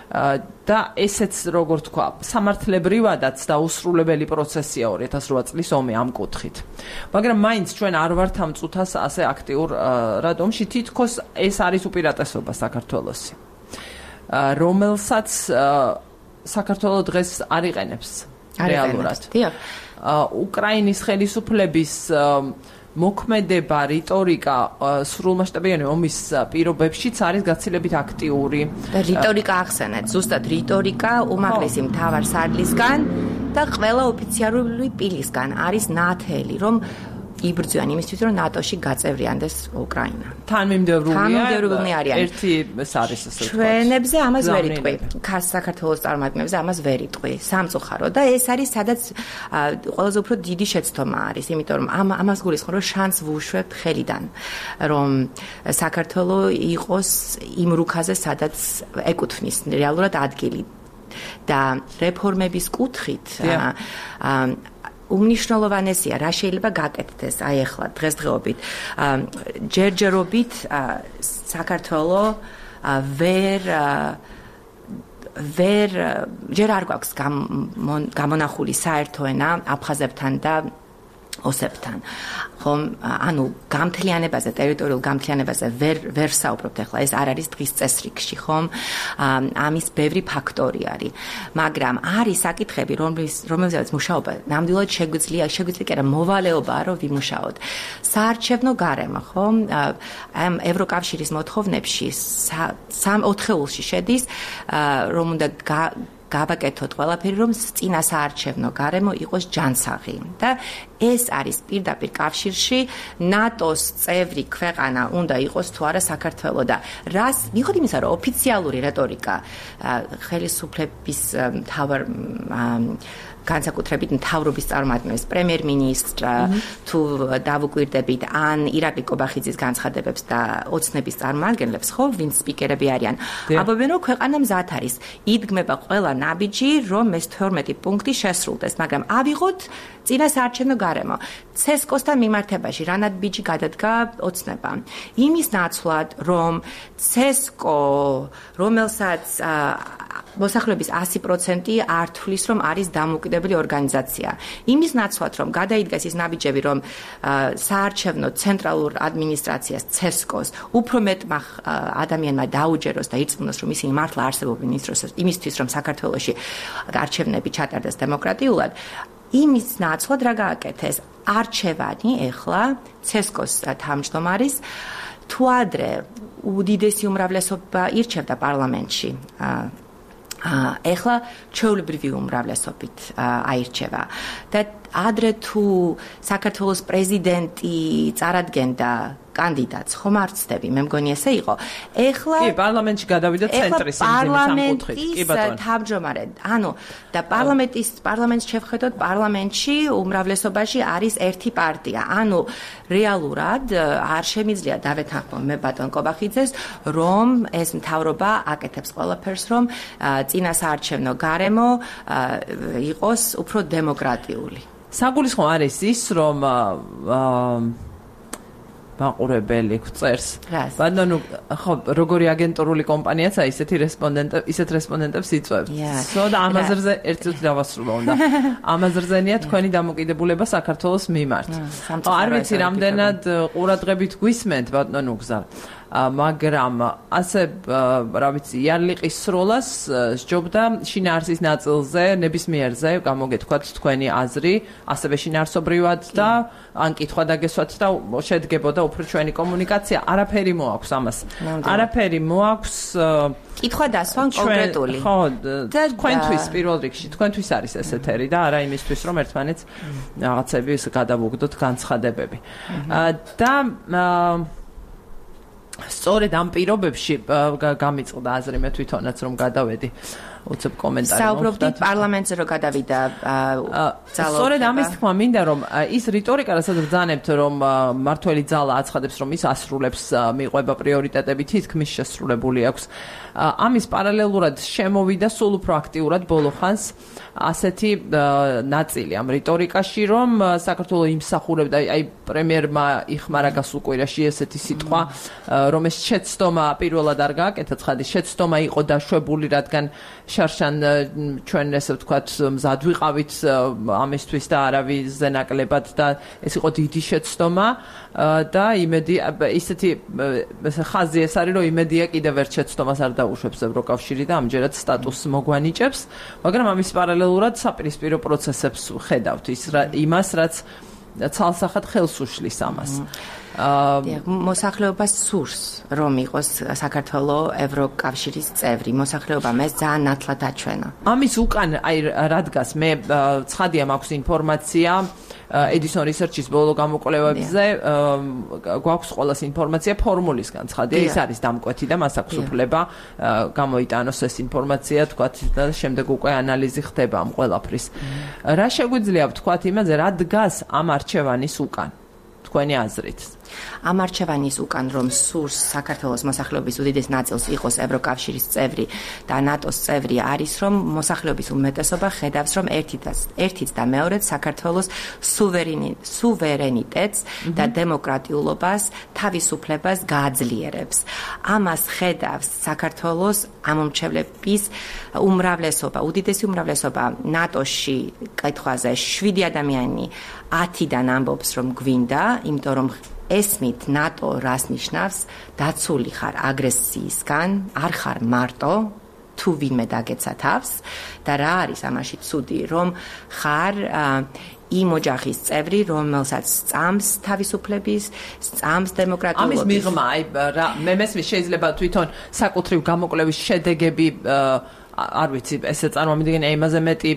და ესეც როგორ თქვა, სამართლებრივადაც დაუსრულებელი პროცესია ორი ათას ოთხ წლის ომი ამ კუთხით. მაგრამ მაინც ჩვენ არ ვართ ამ წუთას ასე აქტიურ რადომში, თითქოს ეს არის უპირატესობა საქართველოსი. რომელსაც საქართველო დღეს არ იყენებს რეალურად. უკრაინის ხელისუფლების მოქმედება, რიტორიკა სრულმასშტაბიანი ომის პირობებშიც არის გაცილებით აქტიური. და რიტორიკა ახსენეთ, ზუსტად რიტორიკა უმაღლესი მთავარ სარდლისგან და ყველა ოფიციალური პირისგან არის ნათელი, რომ იბრძვიან იმისთვის, რომ ნატოში გაწევრიანდეს უკრაინა. თანმიმდევრულია ერთი ეს არის ასე ვთქვათ. ჩვენებზე ამას ვერ იტყვი. ქას საქართველოს წარმომადგენლებზე ამას ვერ იტყვი. სამწუხარო და ეს არის სადაც ყველაზე უფრო დიდი შეცდომა არის, იმიტომ რომ ამ ამას გულისხმობ, რომ შანსს ვუშვებთ ხელიდან, რომ საქართველო იყოს იმ რუქაზე, სადაც ეკუთვნის რეალურად ადგილი და რეფორმების კუთხით უმნიშვნელოვანესია, რა შეიძლება გაკეთდეს აი ახლა დღესდღეობით. ჯერჯერობით საქართველო ვერ ვერ ჯერ არ გვაქვს გამონახული საერთო ენა აფხაზებთან და ოსებთან. ხომ, ანუ გამთლიანებაზე, ტერიტორიულ გამთლიანებაზე ვერ ვერ საუბრობთ ახლა, ეს არ არის დღის წესრიგში, ხომ? ამის ბევრი ფაქტორი არის. მაგრამ არის საკითხები, რომელზეც მუშაობა ნამდვილად შეგვიძლია, შეგვიძლია კი არა, მოვალეობაა, რომ ვიმუშაოთ. საარჩევნო გარემო, ხომ? ამ ევროკავშირის მოთხოვნებში სამ ოთხეულში შედის, რომ უნდა გავაკეთოთ ყველაფერი, რომ წინა საარჩევნო გარემო იყოს ჯანსაღი და ეს არის პირდაპირ კავშირში ნატოს წევრი ქვეყანა უნდა იყოს თუ არა საქართველო და რას მიუხედავად იმისა, რომ ოფიციალური რეტორიკა ხელისუფლების მთავარ განსაკუთრებით მთავრობის წარმომადგენლებს, პრემიერ-მინისტრ თუ დავუკვირდებით ან ირაკლი კობახიძის განცხადებებს და ოცნების წარმომადგენლებს, ხო, ვინც სპიკერები არიან. ამბობენ, რომ ქვეყანა მზად არის. იდგმება ყველა ნაბიჯი, რომ ეს თორმეტი პუნქტი შესრულდეს, მაგრამ ავიღოთ წინა საარჩევნო გარემო. ცესკოსთან მიმართებაში რა ნაბიჯი გადადგა ოცნება. იმის ნაცვლად, რომ ცესკო, რომელსაც მოსახლეობის ასი პროცენტი არ თვლის, რომ არის დამოუკიდებელი ორგანიზაცია. იმის ნაცვლად, რომ გადაიდგეს ის ნაბიჯები, რომ საარჩევნო ცენტრალურ ადმინისტრაციას ცესკოს უფრო მეტმა ადამიანმა დაუჯეროს და ირწმუნოს, რომ ისინი მართლა არსებობენ იმისთვის, რომ საქართველოში არჩევნები ჩატარდეს დემოკრატიულად. იმის ნაცვლად რა გააკეთეს? არჩევანი ეხლა ცესკოს თავმჯდომარის თუ ადრე უდიდესი უმრავლესობა ირჩევდა პარლამენტში. ეხლა ჩვეულებრივი უმრავლესობით აირჩევა და ადრე თუ საქართველოს პრეზიდენტი წარადგენდა კანდიდატს, ხომ არ ვცდები, მე მგონი ესე იყო. ეხლა კი, პარლამენტში გადავიდა ცენტრის სამკუთხედით. კი, ბატონო. თავმჯდომარე. ანუ და პარლამენტის პარლამენტს შევხედოთ, პარლამენტში უმრავლესობაში არის ერთი პარტია. ანუ რეალურად არ შემიძლია დავეთანხმო მე ბატონ კობახიძეს, რომ ეს მთავრობა აკეთებს ყველაფერს, რომ წინასაარჩევნო გარემო იყოს უფრო დემოკრატიული. საგულისხმო არის ის, რომ მაყურებელი წერს. ბატონო, ხო, როგორი აგენტურული კომპანიაცაა, ისეთი რესპონდენტები, ისეთ რესპონდენტებს იწვევს. სოდა ამაზრზე ერთ წუთი დავასრულო უნდა. ამაზრზენია თქვენი დამოკიდებულება საქართველოს მიმართ. არ ვიცი, რამდენად ყურადღებით გვისმენთ, ბატონო გზა. მაგრამ ასე რა ვიცი იარლიყის სროლას სჯობდა შინაარსის ნაწილზე ნებისმიერზე გამოგეთქვათ თქვენი აზრი ასევე შინაარსობრივად და ან კითხვა დაგესვათ და შედგებოდა უფრო ჩვენი კომუნიკაცია არაფერი მოაქვს ამას არაფერი მოაქვს კითხვა დასვან კონკრეტული ხო თქვენთვის პირველ რიგში თქვენთვის არის ეს ეთერი და არა იმისთვის რომ ერთმანეთს რაღაცები გადავუგდოთ განცხადებები და სწორედ ამ პირობებში გამიწყდა აზრი მე თვითონაც რომ გადავედი უცებ კომენტარი საუბრობდი პარლამენტზე რომ გადავიდა ძალა სწორედ ამის თქმა მინდა რომ ის რიტორიკა რასაც ბრძანებთ რომ მართველი ძალა აცხადებს რომ ის ასრულებს მიყვება პრიორიტეტები თითქმის შესრულებული აქვს ამის პარალელურად შემოვიდა სულ უფრო აქტიურად ბოლო ხანს ასეთი ნაწილი ამ რიტორიკაში რომ საქართველოს იმსახურებდა აი პრემიერმა იხმარა გასულ კვირაში ესეთი სიტყვა რომ ეს შეცდომა პირველად არ გააკეთა ცხადი შეცდომა იყო დაშვებული რადგან შარშან ჩვენ ესე ვთქვათ მზად ვიყავით ამისთვის და არავის ნაკლებად და ეს იყო დიდი შეცდომა და იმედი ისეთი ხაზი ეს არის რომ იმედია კიდევ ერთ შეცდომას არ დაუშვებს ევროკავშირი და ამჯერად სტატუსს მოგვანიჭებს მაგრამ ამის პარალელურად საპირისპირო პროცესებს ხედავთ ის იმას რაც ცალსახად ხელს უშლის ამას მოსახლეობას სურს რომ იყოს საქართველოს ევროკავშირის წევრი მოსახლეობა მე ძალიან ნათლად აჩვენა ამის უკან აი რადგას მე ცხადია მაქვს ინფორმაცია Edison Research-ის ბოლო გამოკვლევებზე გვაქვს ყველას ინფორმაცია ფორმულისგან ცხადია ის არის დამკვეთი და მას აქვს უფლება გამოიტანოს ეს ინფორმაცია თქვათ და შემდეგ უკვე ანალიზი ხდება ამ ყველაფრის რა შეგვიძლია ვთქვათ იმაზე რა დგას ამ არჩევანის უკან თქვენი აზრით ამ არჩევანის უკან რომ სურს საქართველოს მოსახლეობის უდიდეს ნაწილს იყოს ევროკავშირის წევრი და ნატოს წევრი არის რომ მოსახლეობის უმეტესობა ხედავს რომ ერთიც ერთიც და მეორეც საქართველოს სუვერენიტეტს და დემოკრატიულობას თავისუფლებას გააძლიერებს ამას ხედავს საქართველოს ამომრჩევლების უმრავლესობა უდიდესი უმრავლესობა ნატოში კითხვაზე შვიდი ადამიანი ათიდან ამბობს რომ გვინდა იმიტომ რომ ესმით ნატო რას ნიშნავს დაცული ხარ აგრესიისგან არ ხარ მარტო თუ ვინმე დაგეცა თავს და რა არის ამაში ცუდი რომ ხარ იმ ოჯახის წევრი რომელსაც სწამს თავისუფლების სწამს დემოკრატიულობის ამის მიღმა აი მე მესმის შეიძლება თვითონ საკუთრივ გამოკვლევის შედეგები არ ვიცი ესე წარმომიდგენია იმაზე მეტი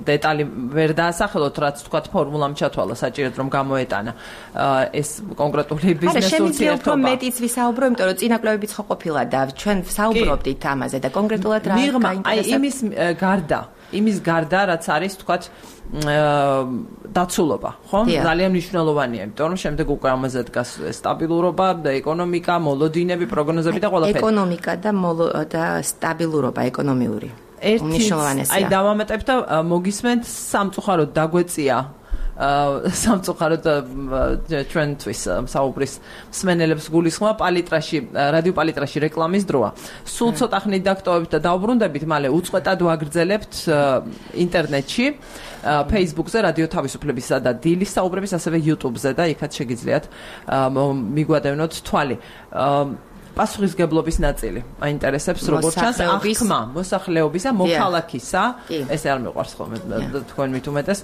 დეტალი ვერ დაასახელოთ რაც თქვათ ფორმულამ ჩათვალა საჭიროდ რომ გამოეტანა ეს კონკრეტული ბიზნეს ურთიერთობა. არა შემიძლია უფრო მეტიც ვისაუბრო იმიტომ რომ წინა კვლევებიც ხო ყოფილა და ჩვენ საუბრობდით ამაზე და კონკრეტულად რა გაინტერესებს. აი იმის გარდა იმის გარდა რაც არის თქვათ დაცულობა, ხო? ძალიან მნიშვნელოვანია, იმიტომ რომ შემდეგ უკვე ამაზე დგას სტაბილურობა და ეკონომიკა, მოლოდინები, პროგნოზები და ყველაფერი. ეკონომიკა და და სტაბილურობა ეკონომიური. მნიშვნელოვანია. აი დავამატებ და მოგისმენთ სამწუხაროდ დაგვეწია სამწუხაროდ ჩვენთვის საუბრის მსმენელებს გულისხმობა პალიტრაში რადიო პალიტრაში რეკლამის დროა. სულ ცოტა ხნით დაგტოვებთ და დავბრუნდებით, მალე უწყვეტად ვაგრძელებთ ინტერნეტში, Facebook-ზე რადიო თავისუფლებისა და დილის საუბრების, ასევე YouTube-ზე და იქაც შეგიძლიათ მიგვადევნოთ თვალი. პასუხისგებლობის ნაწილი აინტერესებს როგორც ჩანს აღქმა მოსახლეობისა მოქალაქისა ეს არ მეყვარს ხოლმე თქვენ მით უმეტეს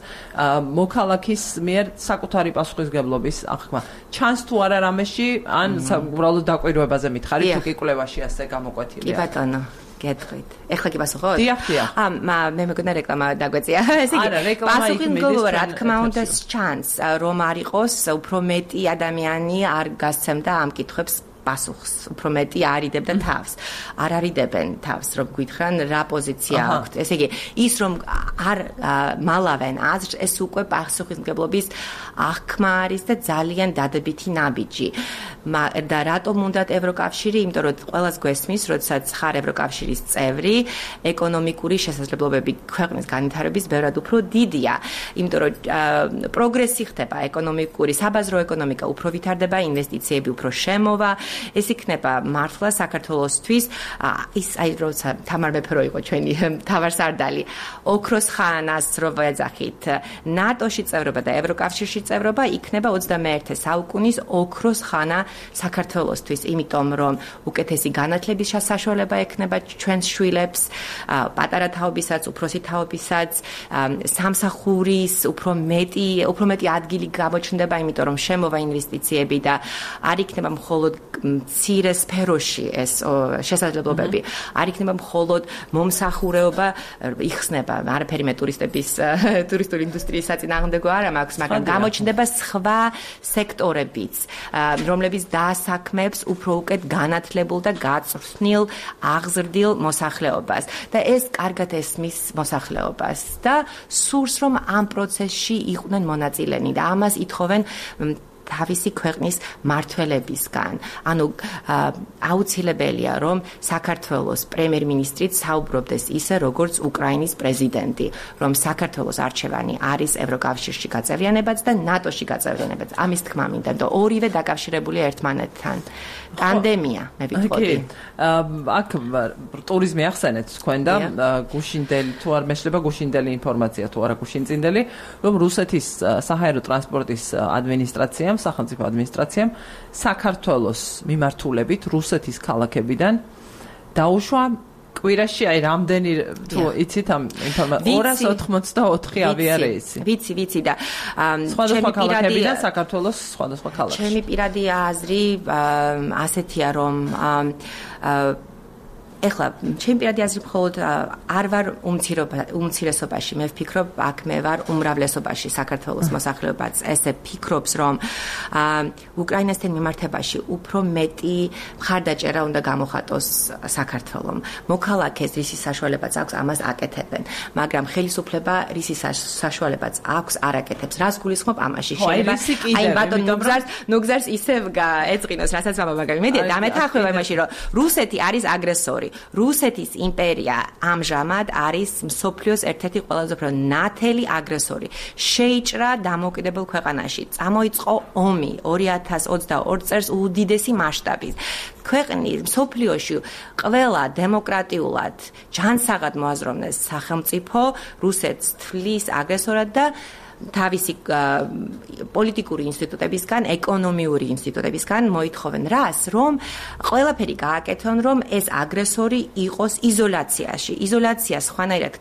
მოქალაქის მიერ საკუთარი პასუხისგებლობის აღქმა ჩანს თუ არა რამეში ან უბრალოდ დაკვირვებაზე მითხარით თუ კი კვლევაში ასე გამოკვეთილია კი ბატონო გეტყვით. ეხლა კი პასუხობთ? დიახ, დიახ. ა მე მეგონა რეკლამა დაგვეწია. ესე იგი, პასუხი მგონია რა თქმა უნდა ჩანს, რომ არ იყოს უფრო მეტი ადამიანი არ გასცემდა ამ კითხვებს პასუხს, უფრო მეტი არიდებდა თავს. არ არიდებენ თავს, რომ გითხრან რა პოზიცია აქვთ. ესე იგი, ის რომ არ მალავენ აზრს, ეს უკვე პასუხისმგებლობის აღქმა არის და ძალიან დადებითი ნაბიჯი. და რატომ უნდათ ევროკავშირი? იმიტომ რომ ყველას გვესმის, როდესაც ხარ ევროკავშირის წევრი, ეკონომიკური შესაძლებლობები ქვეყნის განვითარების ბევრად უფრო დიდია. იმიტომ რომ პროგრესი ხდება ეკონომიკური, საბაზრო ეკონომიკა უფრო ვითარდება, ინვესტიციები უფრო შემოვა. ეს იქნება მართლა საქართველოსთვის ის აი როცა თამარ მეფე რო იყო ჩვენი მთავარსარდალი ოქროს ხანას რო ვეძახით ნატოში წევრობა და ევროკავშირში წევრობა იქნება ოცდამეერთე საუკუნის ოქროს ხანა საქართველოსთვის იმიტომ რომ უკეთესი განათლების საშუალება ექნება ჩვენს შვილებს პატარა თაობისაც უფროსი თაობისაც სამსახურის უფრო მეტი უფრო მეტი ადგილი გამოჩნდება იმიტომ რომ შემოვა ინვესტიციები და არ იქნება მხოლოდ მცირე სფეროში ეს შესაძლებლობები არ იქნება მხოლოდ მომსახურეობა იხსნება არაფერი მე ტურისტების ტურისტული ინდუსტრიის საწინააღმდეგო არ მაქვს მაგრამ გამოჩნდება სხვა სექტორებიც რომლებიც დაასაქმებს უფრო უკეთ განათლებულ და გაწვრთნილ აღზრდილ მოსახლეობას და ეს კარგად ესმის მოსახლეობას და სურს რომ ამ პროცესში იყვნენ მონაწილენი და ამას ითხოვენ თავისი ქვეყნის მართველებისგან. ანუ აუცილებელია, რომ საქართველოს პრემიერ-მინისტრით საუბრობდეს ისე, როგორც უკრაინის პრეზიდენტი, რომ საქართველოს არჩევანი არის ევროკავშირში გაწევრიანებაც და ნატოში გაწევრიანებაც. ამის თქმა მინდა და ორივე დაკავშირებულია ერთმანეთთან. ტანდემია, მე ვიტყოდი. აქ ტურიზმი ახსენეთ თქვენ და გუშინდელი თუ არ მეშლება გუშინდელი ინფორმაცია თუ არა გუშინწინდელი, რომ რუსეთის საჰაერო ტრანსპორტის ადმინისტრაციამ სახელმწიფო ადმინისტრაციამ საქართველოს მიმართულებით რუსეთის ქალაქებიდან დაუშვა კვირაში აი რამდენი თუ იცით ამ ინფორმაცია ორას ოცდაოთხი ავიარეისი. ვიცი, ვიცი და სხვადასხვა ქალაქებიდან საქართველოს სხვადასხვა ქალაქებში. ჩემი პირადი აზრი ასეთია რომ ეხლა ჩემი პირადი აზრი მხოლოდ არ ვარ უმცირესობაში მე ვფიქრობ აქ მე ვარ უმრავლესობაში საქართველოს მოსახლეობაც ესე ფიქრობს რომ უკრაინასთან მიმართებაში უფრო მეტი მხარდაჭერა უნდა გამოხატოს საქართველომ მოქალაქეს რისის საშუალებაც აქვს ამას აკეთებენ მაგრამ ხელისუფლება რისის საშუალებაც აქვს არ აკეთებს რას გულისხმობ ამაში შეიძლება აი ბატონ ნუგზარს ნუგზარს ისევ ეწინოს რასაც მამაბაგავი მე დამეთახმება იმაში რომ რუსეთი არის აგრესორი რუსეთის იმპერია ამჟამად არის მსოფლიოს ერთ-ერთი ყველაზე უფრო ნათელი აგრესორი. შეიჭრა დამოუკიდებელ ქვეყანაში. წამოიწყო ომი ორი ათას ოცდაორ წელს უდიდესი მასშტაბით. ქვეყნის მსოფლიოში ყველა დემოკრატიულად ჯანსაღად მოაზროვნეს სახელმწიფო რუსეთს თვლის აგრესორად და თავისი პოლიტიკური ინსტიტუტებისგან, ეკონომიური ინსტიტუტებისგან მოითხოვენ რას, რომ ყველაფერი გააკეთონ, რომ ეს აგრესორი იყოს იზოლაციაში. იზოლაცია სხვანაირად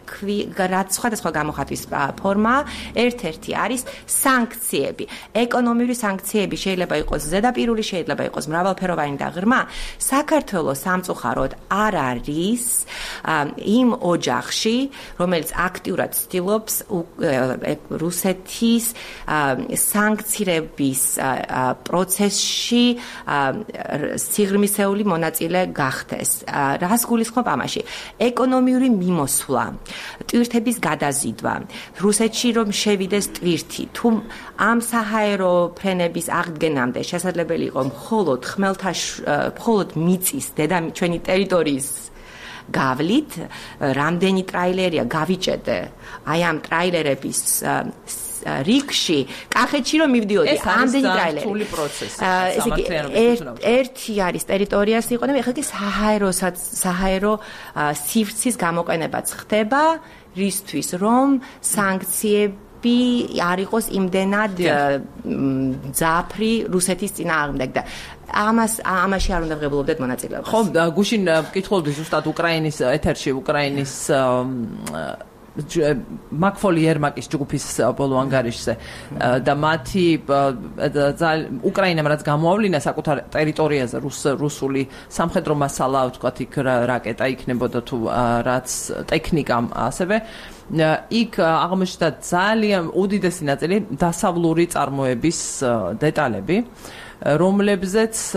რაც სხვადასხვა გამოხატვის ფორმა, ერთ-ერთი არის სანქციები. ეკონომიური სანქციები შეიძლება იყოს ზედაპირული, შეიძლება იყოს მრავალფეროვანი და ღრმა. საქართველოს სამწუხაროდ არ არის იმ ოჯახში, რომელიც აქტიურად ცდილობს რუსეთის რუსეთის სანქციების პროცესში სიღრმისეული მონაწილე გახდეს. რას გულისხმობ ამაში? ეკონომიური მიმოსვლა, ტვირთების გადაზიდვა, რუსეთში რომ შევიდეს ტვირთი, თუ ამ საჰაერო ფრენების აღდგენამდე შესაძლებელი იყო მხოლოდ ხმელთაშუა, მხოლოდ მიწის დედა ჩვენი ტერიტორიის გავლით, რამდენი ტრაილერია გავიჭედე, აი ამ ტრაილერების რიგში, კახეთში რომ მივდიოდი, ამდენი ტრაილერი. ეს არის რთული პროცესი. ესე იგი, ერთი არის ტერიტორიას იყო და ეხლა კი საჰაეროსაც, საჰაერო სივრცის გამოყენებაც ხდება, რისთვის რომ სანქციები არ იყოს იმდენად ძაფრი რუსეთის წინააღმდეგ და ამას ამაში არ უნდა ღებულობდეთ მონაწილეობას. ხო, გუშინ ვკითხულობდი ზუსტად უკრაინის ეთერში, უკრაინის მაკფოლი ერმაკის ჯგუფის ბოლო ანგარიშზე და მათი უკრაინამ რაც გამოავლინა საკუთარ ტერიტორიაზე რუსული სამხედრო მასალა ვთქვათ იქ რაკეტა იქნებოდა თუ რაც ტექნიკა ასევე იქ აღმოჩნდა ძალიან უდიდესი ნაწილი დასავლური წარმოების დეტალები რომლებზეც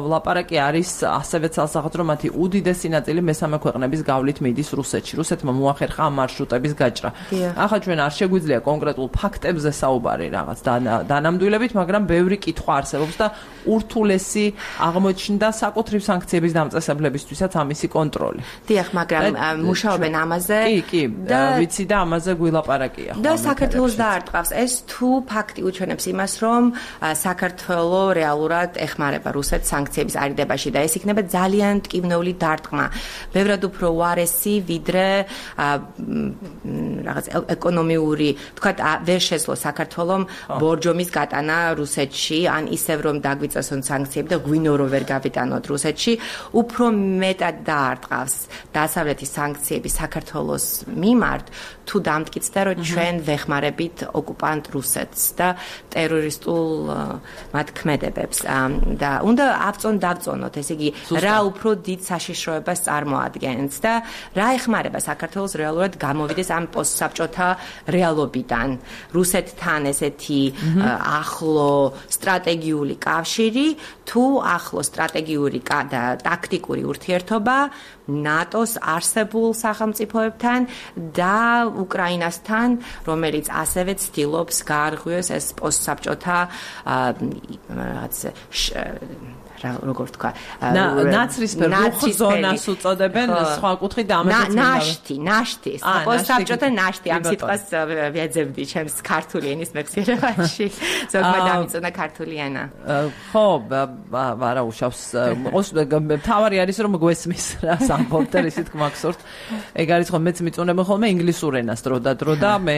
ლაპარაკი არის ასევე ცალსახად რომ მათი უდიდესი ნაწილი მესამე ქვეყნების გავლით მიდის რუსეთში. რუსეთმა მოახერხა ამ მარშრუტების გაჭრა. ახლა ჩვენ არ შეგვიძლია კონკრეტულ ფაქტებზე საუბარი რაღაც დანამდვილებით, მაგრამ ბევრი კითხვა არსებობს და ურთულესი აღმოჩნდა საკუთრივ სანქციების დამწესებლებისთვისაც ამისი კონტროლი. დიახ, მაგრამ მუშაობენ ამაზე. კი, კი, ვიცი და ამაზე გვილაპარაკია. და საქართველოს დაარტყავს ეს თუ ფაქტი უჩვენებს იმას, რომ საქართველოს რეალურად ეხმარება რუსეთს სანქციების არიდებაში და ეს იქნება ძალიან ტკივნეული დარტყმა. ბევრად უფრო უარესი, ვიდრე რაღაც ეკონომიური, თქვათ, ვერ შეძლო საქართველოს ბორჯომის გატანა რუსეთში, ან ისევ რომ დაგვიწესონ სანქციები და გვინო რომ ვერ გავიტანოთ რუსეთში, უფრო მეტად დაარტყავს დასავლეთის სანქციები საქართველოს მიმართ, თუ დამტკიცდა რომ ჩვენ ვეხმარებით ოკუპანტ რუსეთს და ტერორისტულ მათ ქმედებებს და უნდა ავწონ დავწონოთ, ესე იგი, რა უფრო დიდ საშიშროებას წარმოადგენს და რა ეხმარება საქართველოს რეალურად გამოვიდეს ამ პოსტსაბჭოთა რეალობიდან. რუსეთთან ესეთი ახლო სტრატეგიული კავშირი, თუ ახლო სტრატეგიული და ტაქტიკური ურთიერთობა ნატოს არსებულ სახელმწიფოებთან და უკრაინასთან, რომელიც ასევე ცდილობს გაარღვიოს ეს პოსტსაბჭოთა რაღაც როგორ თქვა ნაცრისფერ ზონას უწოდებენ სხვა კუთხით და ამასაც ნაშთი ნაშთი პოსტსაბჭოთა ნაშთი ამ სიტყვას ვეძებდი ჩემს ქართული ენის მეხსიერებაში ზოგმა დამიწონა ქართული ენა ხო არა უშავს თავარი არის რომ გვესმის რა სამბობთ და ისეთ გმახსოვთ ეგ არის ხო მეც მიწუნებენ ხოლმე ინგლისურ ენას დრო და დრო და მე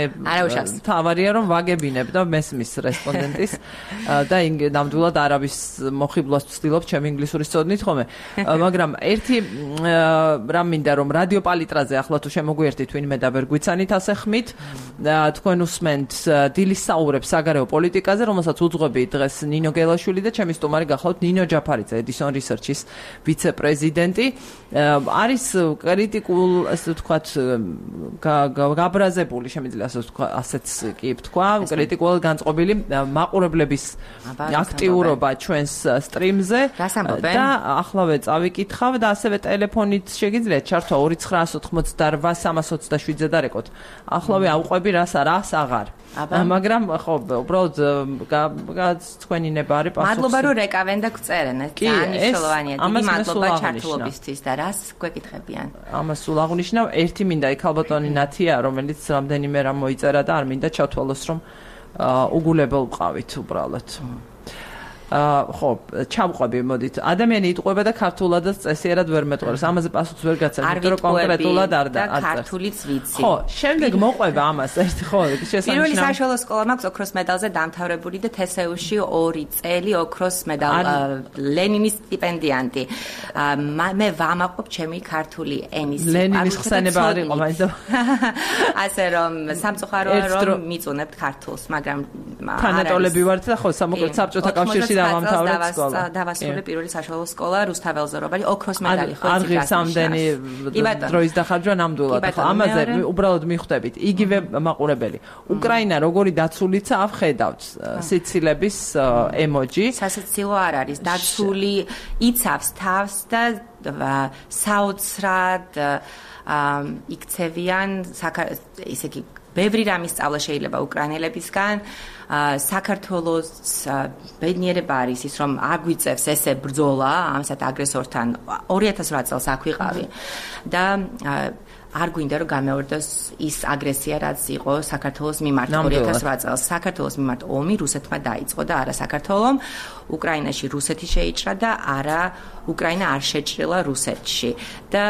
თავარია რომ ვაგებინებ და მესმის რესპონდენტის და ნამდვილად არავის მოხიბლას ჩემ ინგლისურის წოდნით ხოლმე, მაგრამ ერთი რამ მინდა რომ რადიო პალიტრაზე ახლა თუ შემოგვიერთით ვინმე და ვერ გვიცანით ასე ხმით, თქვენ უსმენთ დილის საუბრებს საგარეო პოლიტიკაზე, რომელსაც უძღვები დღეს ნინო გელაშვილი და ჩემი სტუმარი გახლავთ ნინო ჯაფარიძე, Edison Research-ის ვიცე-პრეზიდენტი. არის კრიტიკულ, ასე ვთქვათ, გაბრაზებული, შემიძლია ასეც კი ვთქვა, კრიტიკულად განწყობილი მაყურებლების აქტიურობა ჩვენს სტრიმზე დაახლავე წავიკითხავ და ასევე ტელეფონით შეგიძლიათ ჩართვა ორი ცხრაას ოთხმოცდაოთხ სამას ოცდაშვიდზე დარეკოთ.ახლავე აუყვები რას არას აღარ. მაგრამ ხო, უბრალოდ თქვენი ნება არის პასუხი. მადლობა რომ რეკავენ და გწერენ, ეს ძალიან მნიშვნელოვანია. დიდი მადლობა ჩართულობისთვის და რას გვეკითხებიან. ამას სულ აღნიშნავ, ერთი მინდა იქ ალბათონი ნათია, რომელიც რამდენიმე რამ მოიწერა და არ მინდა ჩათვალოს რომ უგულებელ ვყავით უბრალოდ. ხო, ჩამყვები მოდით. ადამიანი იტყვება და ქართულადაც წესიერად ვერ მეტყობს. ამაზე პასუხს ვერ გაცემ, იმიტომ რომ კონკრეტულად არ და ქართულიც ვიცი. ხო, შემდეგ მოყვება ამას ერთი ხო, შესანიშნავი. პირველი საშუალო სკოლა მაქვს ოქროს მედალზე დამთავრებული და თესეუში ორი წელი ოქროს მედალ ლენინის სტიპენდიანტი. მე ვამაყობ ჩემი ქართული ენის ლენინის ხსენება არ იყო მაინც. ასე რომ სამწუხაროა რომ მიწუნებთ ქართულს, მაგრამ თანატოლები ვართ და ხო, სამოკლედ საბჭოთა კავშირში დავამთავრეთ სკოლა. დავასრულე პირველი საშუალო სკოლა რუსთაველზე რობალი ოქროს მედალი ხო არ ღირს ამდენი დროის დახარჯვა ნამდვილად. ხო, ამაზე უბრალოდ მიხვდებით. იგივე მაყურებელი. უკრაინა როგორი დაცულიცა ხედავთ სიცილების ემოჯი. სასაცილო არ არის. დაცული იცავს თავს და საოცრად იქცევიან ისე კი ბევრი რამის სწავლა შეიძლება უკრაინელებისგან. საქართველოს ბედნიერება არის ის, რომ აგვიწევს ესე ბრძოლა ამასად აგრესორთან ორი ათას ოთხ წელს აქ ვიყავი და არ გვინდა რომ გამეორდეს ის აგრესია რაც იყო საქართველოს მიმართ ორი ათას ოთხ წელს. საქართველოს მიმართ ომი რუსეთმა დაიწყო და არა საქართველომ. უკრაინაში რუსეთი შეიჭრა და არა უკრაინა არ შეჭრილა რუსეთში და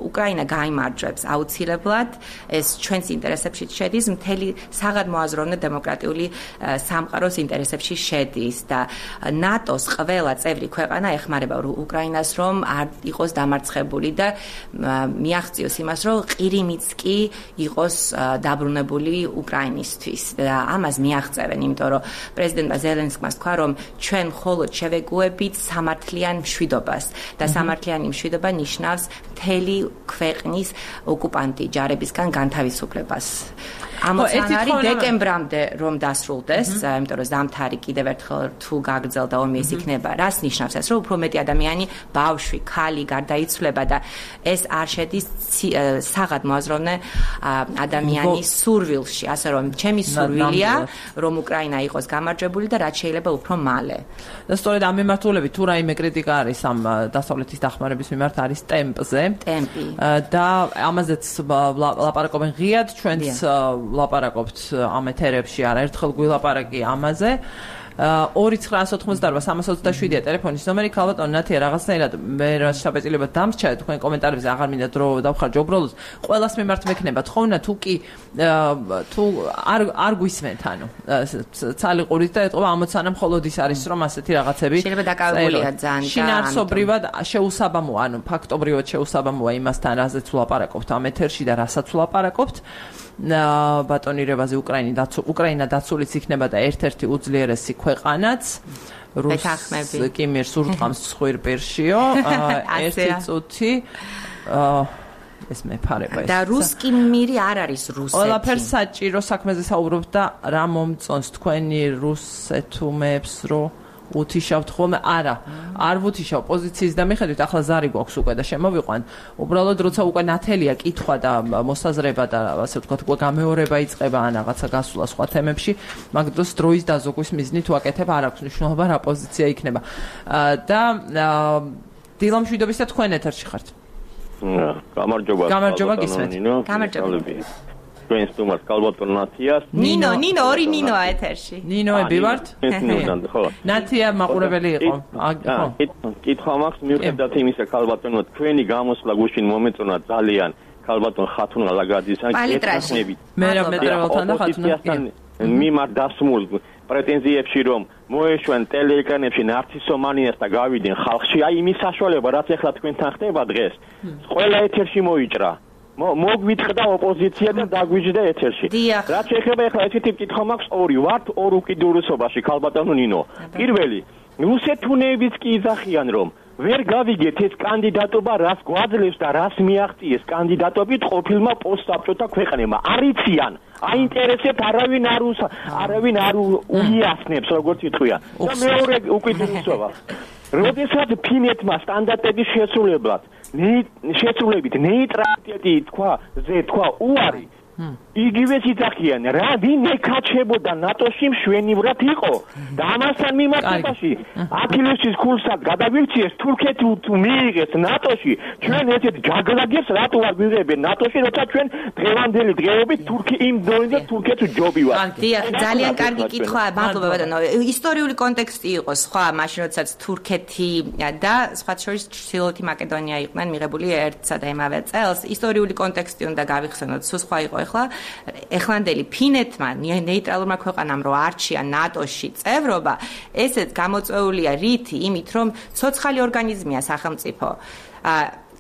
უკრაინა გაიმარჯვებს აუცილებლად. ეს ჩვენს ინტერესებში შედის. მთელი საღად მოაზროვნე დემოკრატიული სამყაროს ინტერესებში შედის და ნატოს ყველა წევრი ქვეყანა ეხმარება უკრაინას რომ არ იყოს დამარცხებული და მიაღწიოს იმას რომ ყირიმიც კი იყოს დაბრუნებული უკრაინისთვის და ამას მიაღწევენ იმიტომ რომ პრეზიდენტმა ზელენსკიმ თქვა რომ ჩვენ მხოლოდ შევეგუებით სამართლიან მშვიდობას და სამართლიანი მშვიდობა ნიშნავს მთელი ქვეყნის ოკუპანტი ჯარებისგან განთავისუფლებას. ამოცანარი დეკემბრამდე რომ დასრულდეს, იმიტომ რომ ზამთარი კიდევ ერთხელ თუ გაგრძელდა ომი ეს იქნება, რას ნიშნავს ეს, რომ უფრო მეტი ადამიანი, ბავშვი, ქალი გარდაიცვლება და ეს არ შედის საღად მოაზროვნე ადამიანის სურვილში, ასე რომ ჩემი სურვილია, რომ უკრაინა იყოს გამარჯვებული და რაც შეიძლება უფრო მალე. და სწორედ ამ მიმართულებით თუ რაიმე კრიტიკა არის ამ დასავლეთის დახმარების მიმართ არის ტემპზე. ტემპი. და ამაზეც ლაპარაკობენ ღიად ჩვენც ლაპარაკობთ ამ ეთერებში არაერთხელ გვილაპარაკი ამაზე. ორი ცხრაას ოთხმოცდაარბა სამას ოცდაშვიდია ტელეფონის ნომერი. ქალბატონი ნათია რაღაცნაირად მე რა შაბეწილება დამსჩა თქვენ კომენტარებზე აღარ მინდა დრო დავხარჯო უბრალოდ ყველას მიმართ მექნება თხოვნა თუ კი თუ არ არ გვისმენთ ანუ ცალი ყურით და ეთყობა ამოცანა მხოლოდ ის არის რომ ასეთი რაღაცები შეიძლება დაკავებულია ძალიან და შინაარსობრივად შეუსაბამოა ანუ ფაქტობრივად შეუსაბამოა იმასთან რაზეც ვლაპარაკობთ ამ ეთერში და რასაც ვლაპარაკობთ. ბატონირებაზე უკრაინა დაცულ უკრაინა დაცულიც იქნება და ერთ-ერთი უძლიერესი ქვეყანაც რუსს კი მიერ სურტყამს ცხვირპირშიო ერთი წუთი ეს მეფარება ეს და რუსკი მირი არ არის რუსეთი ყველაფერს საჭირო საქმეზე საუბრობთ და რა მომწონს თქვენი რუსეთუმებს რო უთიშავთ ხოლმე არა არ ვუთიშავ პოზიციის და მიხედვით ახლა ზარი გვაქვს უკვე და შემოვიყვან უბრალოდ როცა უკვე ნათელია კითხვა და მოსაზრება და ასე ვთქვათ უკვე გამეორება იწყება ან რაღაცა გასვლა სხვა თემებში მაგ დროს დროის დაზოგვის მიზნით ვაკეთებ არ აქვს მნიშვნელობა რა პოზიცია იქნება და დილამშვიდობის და თქვენ ეთერში ხართ გამარჯობა გამარჯობა გისმენთ გამარჯობა ჩვენს თუმას ქალბატონ ნათიას ნინო ნინო ორი ნინოა ეთერში ნინოები ვართ ნათია მაყურებელი იყო ხო კითხვა მაქვს მიუხედავად იმისა ქალბატონო თქვენი გამოსვლა გუშინ მომეწონა ძალიან ქალბატონ ხათუნა ლაგაძისთან გეთანხმებით მე რა მეტრევალთან და ხათუნა მიმართ დასმულ პრეტენზიებში რომ მოეშვენ ტელეეკრანებში ნარცისომანიას და გავიდნენ ხალხში აი იმის საშუალება რაც ახლა თქვენთან ხდება დღეს ყველა ეთერში მოიჭრა მოგვიტყდა ოპოზიცია და დაგვიჯდა ეთერში. რაც შეეხება ახლა ესეთი კითხვა მაქვს ორი ვართ ორ უკიდურესობაში ქალბატონო ნინო. პირველი, რუსეთუნეებიც კი იძახიან რომ ვერ გავიგეთ ეს კანდიდატობა რას გვაძლევს და რას მიაღწიეს კანდიდატობით ყოფილმა პოსტსაბჭოთა ქვეყნებმა. არიციან, აინტერესებთ არავინ არ არავინ არ უიასნებს როგორც იტყვია. და მეორე უკიდურესობა. როდესაც ფინეთმა სტანდარტების შესრულებლად შეცვლებით ნეიტრალიტეტი თქვა ზე თქვა უარი იგივეს იძახიან რა ვინ ეკაჩებოდა ნატოში მშვენივრად იყო და ამასთან მიმართებაში ათილევსის ქულსაც გადავიქციეს თურქეთი თუ მიიღეს ნატოში ჩვენ ესეთ ჯაგრაგებს რატო არ ვიღებენ ნატოში როცა ჩვენ დღევანდელი დღეობით თურქი იმ დონეზე თურქეთს ჯობი ვარ დიახ ძალიან კარგი კითხვაა მადლობა ბატონო ისტორიული კონტექსტი იყო სხვა მაშინ როდესაც თურქეთი და სხვა შორის ჩრდილოეთი მაკედონია იყვნენ მიღებული ერთსა და იმავე წელს ისტორიული კონტექსტი უნდა გავიხსენოთ სულ სხვა იყო ახლა ეხლანდელი ფინეთმა ნეიტრალურმა ქვეყანამ რო არჩია ნატოში წევრობა ესეც გამოწვეულია რითი იმით რომ ცოცხალი ორგანიზმია სახელმწიფო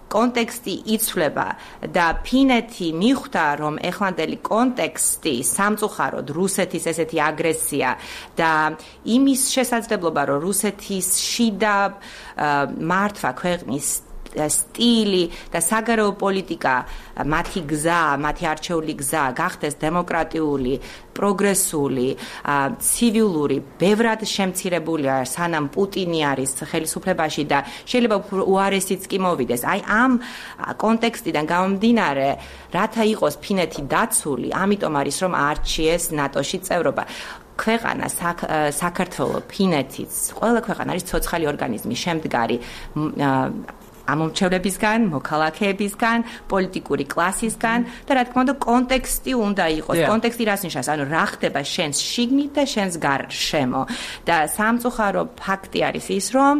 კონტექსტი იცვლება და ფინეთი მიხვდა რომ ეხლანდელი კონტექსტი სამწუხაროდ რუსეთის ესეთი აგრესია და იმის შესაძლებლობა რომ რუსეთის შიდა მართვა ქვეყნის სტილი და საგარეო პოლიტიკა მათი გზა, მათი არჩეული გზა გახდეს დემოკრატიული, პროგრესული, ცივილური, ბევრად შემცირებულია სანამ პუტინი არის ხელისუფლებაში და შეიძლება უარესიც კი მოვიდეს. აი ამ კონტექსტიდან გამომდინარე, რათა იყოს ფინეთი დაცული, ამიტომ არის რომ არჩიეს ნატოში წევრობა. ქვეყანა საქართველო, ფინეთიც, ყველა ქვეყანა არის ცოცხალი ორგანიზმი, შემდგარი ამომრჩევლებისგან, მოქალაქეებისგან, პოლიტიკური კლასისგან და რა თქმა უნდა კონტექსტი უნდა იყოს. კონტექსტი რას ნიშნავს? ანუ რა ხდება შენს შიგნით და შენს გარშემო. და სამწუხარო ფაქტი არის ის, რომ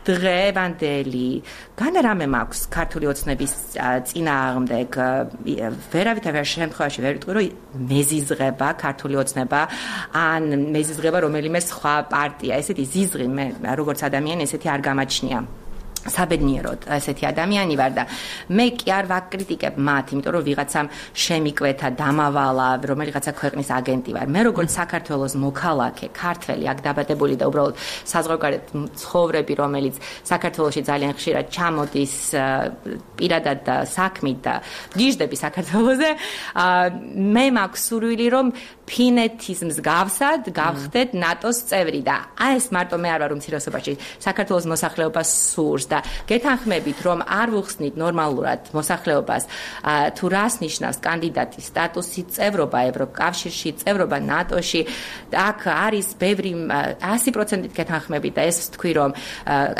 დღევანდელი განარამე მაქვს ქართული ოცნების წინააღმდეგ ვერავითარ შემთხვევაში ვერ ვიტყვი, რომ მეზიზღება ქართული ოცნება ან მეზიზღება რომელიმე სხვა პარტია. ესეთი ზიზღი მე როგორც ადამიანი ესეთი არ გამაჩნია. საბედნიეროდ ესეთი ადამიანი ვარ და მე კი არ ვაკრიტიკებ მათ, იმიტომ რომ ვიღაცამ შემიკვეთა, დამავალა, რომელიღაცა ქვეყნის აგენტი ვარ. მე როგორც საქართველოს მოქალაქე, ქართველი, აქ დაბადებული და უბრალოდ საზღვარგარეთ ცხოვრები, რომელიც საქართველოში ძალიან ხშირად ჩამოდის პირადად და საქმით და გიჟდები საქართველოზე, მე მაქვს სურვილი, რომ ფინეთის მსგავსად გავხდეთ ნატოს წევრი და აი ეს მარტო მე არ ვარ უმცირესობაში საქართველოს მოსახლეობას სურს და გეთანხმებით, რომ არ ვუხსნით ნორმალურად მოსახლეობას თუ რას ნიშნავს კანდიდატის სტატუსი, წევრობა ევროკავშირში, წევრობა ნატოში. აქ არის ბევრი ასი პროცენტით გეთანხმებით და ეს ვთქვი, რომ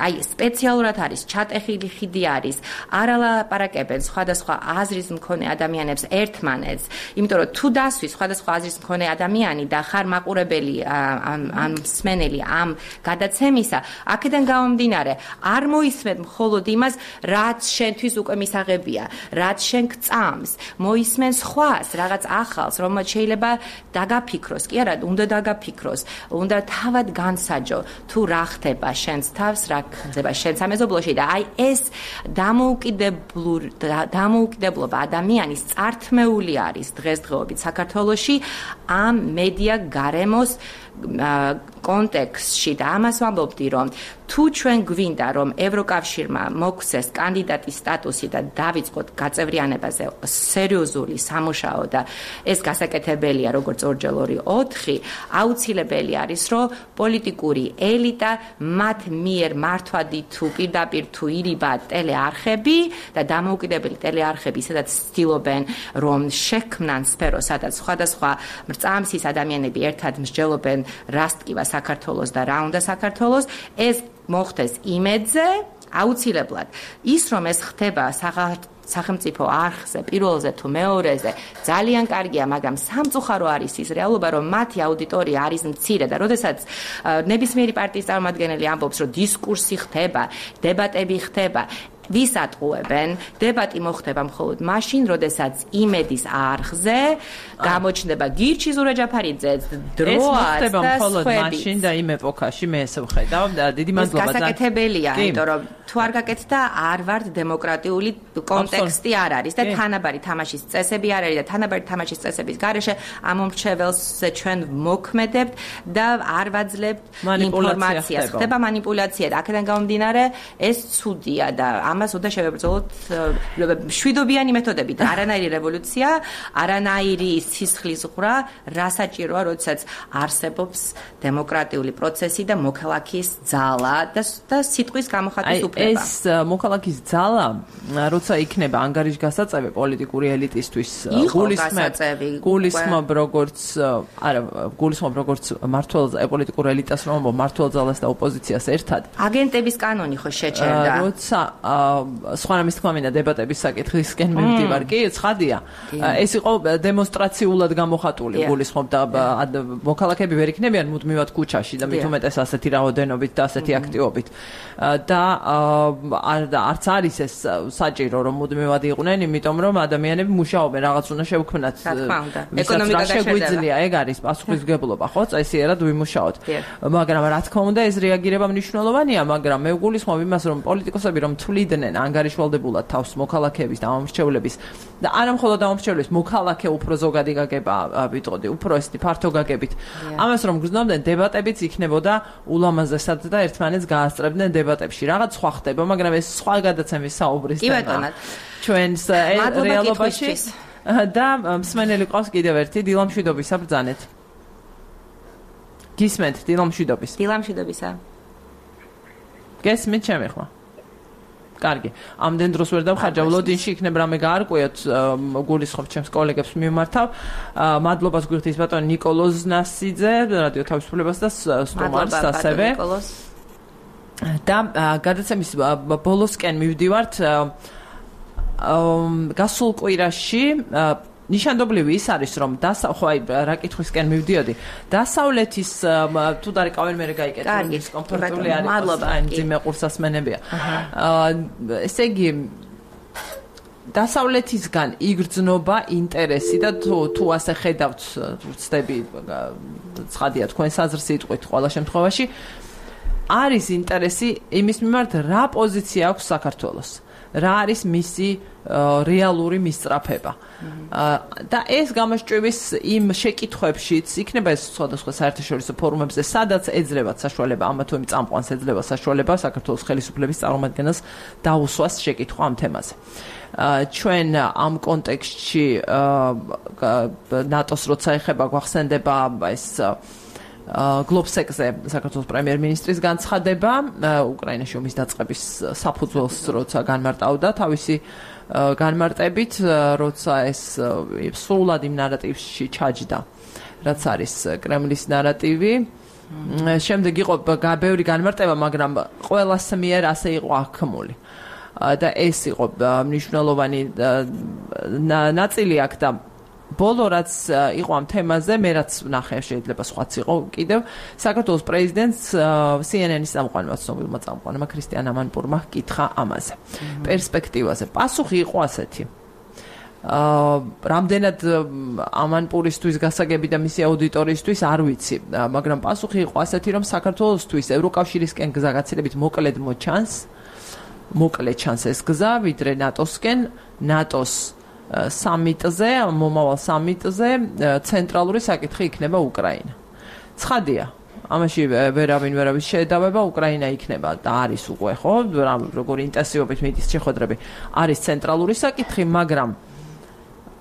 აი სპეციალურად არის ჩატეხილი ხიდი არის, არ ალაპარაკებენ სხვადასხვა აზრის მქონე ადამიანებს ერთმანეთს, იმიტომ რომ თუ დასვის სხვადასხვა აზრის მქონე ადამიანი და ხარ მაყურებელი ამ მსმენელი ამ გადაცემისა, აქედან გამომდინარე არ მოის მხოლოდ იმას, რაც შენთვის უკვე მისაღებია, რაც შენ გწამს, მოისმენ სხვას, რაღაც ახალს, რომელმაც შეიძლება დაგაფიქროს, კი არა, უნდა დაგაფიქროს, უნდა თავად განსაჯო, თუ რა ხდება შენს თავს, რა ხდება შენ სამეზობლოში და აი ეს დამოუკიდებლობა ადამიანის წართმეული არის დღესდღეობით საქართველოში ამ მედია გარემოს კონტექსტში და ამას ვამბობდი, რომ თუ ჩვენ გვინდა, რომ ევროკავშირმა მოგვცეს კანდიდატის სტატუსი და დავიწყოთ გაწევრიანებაზე სერიოზული სამუშაო და ეს გასაკეთებელია, როგორც ორჯერ ორი ოთხი, აუცილებელი არის, რომ პოლიტიკური ელიტა მათ მიერ მართვადი თუ პირდაპირ თუ ირიბა ტელეარხები და დამოუკიდებელი ტელეარხები, სადაც ცდილობენ, რომ შექმნან სფერო, სადაც სხვადასხვა მრწამსის ადამიანები ერთად მსჯელობენ რას ტკივა საქართველოს და რა უნდა საქართველოს, ეს მოხდეს იმედზე, აუცილებლად. ის რომ ეს ხდება სახელმწიფო არხზე, პირველზე თუ მეორეზე, ძალიან კარგია, მაგრამ სამწუხარო არის ის რეალობა, რომ მათი აუდიტორია არის მცირე და როდესაც ნებისმიერი პარტიის წარმომადგენელი ამბობს, რომ დისკურსი ხდება, დებატები ხდება, ვის ატყუებენ? დებატი მოხდება მხოლოდ მაშინ, როდესაც იმედის არხზე გამოჩნდება გირჩი ზურაჯაფარიძე, დროაც ეს მოხდება მხოლოდ მაშინ და იმ ეპოქაში მე ესე ვხედავ და დიდი მადლობა. ეს გასაკეთებელია, იმიტომ რომ თუ არ გაკეთდა, არ ვართ დემოკრატიული კონტექსტი არ არის და თანაბარი თამაშის წესები არ არის და თანაბარი თამაშის წესების გარეშე ამომრჩეველს ჩვენ მოქმედებთ და არ ვაძლევთ ინფორმაციას. ხდება მანიპულაცია და აქედან გამომდინარე ეს ცუდია და ამას უნდა შევებრძოლოთ შვიდობიანი მეთოდებით. არანაირი რევოლუცია, არანაირი სისხლის ღვრა რა საჭიროა, როდესაც არსებობს დემოკრატიული პროცესი და მოქალაქის ძალა და და სიტყვის გამოხატვის უფლება. ეს მოქალაქის ძალა, როცა იქნება ანგარიშგასაწევი პოლიტიკური ელიტისთვის, გულისხმობ, გულისხმობ როგორც, არა, გულისხმობ როგორც მართლ პოლიტიკურ ელიტას, რომ მართლ ძალას და ოპოზიციას ერთად. აგენტების კანონი ხო შეჭერდა. როცა სხვა რამის თქმა მინდა დებატების საკითხისკენ მივდივარ, კი, ცხადია. ეს იყო დემონსტრაციულად გამოხატული, გულისხმობ და მოქალაქეები ვერ იქნებიან მუდმივად ქუჩაში და მით უმეტეს ასეთი რაოდენობით და ასეთი აქტივობით. და არც არის ეს საჭირო, რომ მუდმივად იყვნენ, იმიტომ რომ ადამიანები მუშაობენ, რაღაც უნდა შევქმნათ. ეკონომიკა შეგვიძლია, ეგ არის პასუხისმგებლობა, ხო? წესიერად ვიმუშაოთ. მაგრამ რა თქმა უნდა, ეს რეაგირება მნიშვნელოვანია, მაგრამ მე ვგულისხმობ იმას, რომ პოლიტიკოსები რომ თვლიდნენ ანგარიშვალდებულად თავს მოქალაქეების და ამომრჩევლების და არა მხოლოდ ამომრჩევლების, მოქალაქე უფრო ზოგადი გაგება ვიტყოდი, უფრო ესეთი ფართო გაგებით. ამას რომ გრძნობდნენ, დებატებიც იქნებოდა ულამაზესად და ერთმანეთს გაასწრებდნენ დებატებში. რაღაც სხვა ხდება, მაგრამ ეს სხვა გადაცემის საუბრის თემა. ჩვენს რეალობაში და მსმენელი ყავს კიდევ ერთი დილამშვიდობისა ბრძანეთ. გისმენთ დილამშვიდობის. დილამშვიდობისა. გესმით ჩემი ხმა? კარგი. ამდენ დროს ვერ დავხარჯავ, ლოდინში იქნებ რამე გაარკვიოთ, გულისხმობ ჩემს კოლეგებს მიმართავ. მადლობას გვიხდის ბატონ ნიკოლოზ ნასიძე, რადიო თავისუფლებას და სტუმარს ასევე. და გადაცემის ბოლოსკენ მივდივართ გასულ კვირაში ნიშანდობლივი ის არის რომ ხო აი რა კითხვისკენ მივდიოდი დასავლეთის თუ დარეკავენ მე გაიკეთე ის კომფორტული არის აი ძიმე ყურსასმენებია ესე იგი დასავლეთისგან იგრძნობა ინტერესი და თუ თუ ასე ხედავთ ვწდები ცხადია თქვენ საზრს იტყვით ყველა შემთხვევაში არის ინტერესი იმის მიმართ რა პოზიცია აქვს საქართველოს რა არის მისი რეალური მისწრაფება და ეს გამოსჭვივის იმ შეკითხვებშიც იქნება ეს სხვადასხვა საერთაშორისო ფორუმებზე სადაც ეძლებათ საშუალება ამა თუ იმ წამყვანს ეძლევა საშუალება საქართველოს ხელისუფლების წარმომადგენელს დაუსვას შეკითხვა ამ თემაზე ჩვენ ამ კონტექსტში ნატოს როცა ეხება გვახსენდება ეს გლობსეკზე საქართველოს პრემიერ-მინისტრის განცხადება უკრაინაში ომის დაწყების საფუძველს როცა განმარტავდა თავისი განმარტებით როცა ეს სრულად იმ ნარატივში ჩაჯდა რაც არის კრემლის ნარატივი შემდეგ იყო ბევრი განმარტება მაგრამ ყველას მიერ ასე იყო აღქმული და ეს იყო მნიშვნელოვანი ნაწილი აქ და ბოლო რაც იყო ამ თემაზე მე რაც ვნახე შეიძლება სხვაც იყო კიდევ საქართველოს პრეზიდენტს C N N-ის წამყვანმა ცნობილმა წამყვანმა ქრისტიან ამანპურმა კითხა ამაზე პერსპექტივაზე პასუხი იყო ასეთი აა რამდენად ამანპურისთვის გასაგები და მისი აუდიტორიისთვის არ ვიცი მაგრამ პასუხი იყო ასეთი რომ საქართველოსთვის ევროკავშირისკენ გზა გაცილებით მოკლედ მოჩანს მოკლედ ჩანს ეს გზა ვიდრე ნატოსკენ ნატოს სამიტზე, მომავალ სამიტზე ცენტრალური საკითხი იქნება უკრაინა. ცხადია, ამაში ვერავინ ვერავის შედავება უკრაინა იქნება და არის უკვე ხო, როგორი ინტენსივობით მიდის შეხვედრები, არის ცენტრალური საკითხი, მაგრამ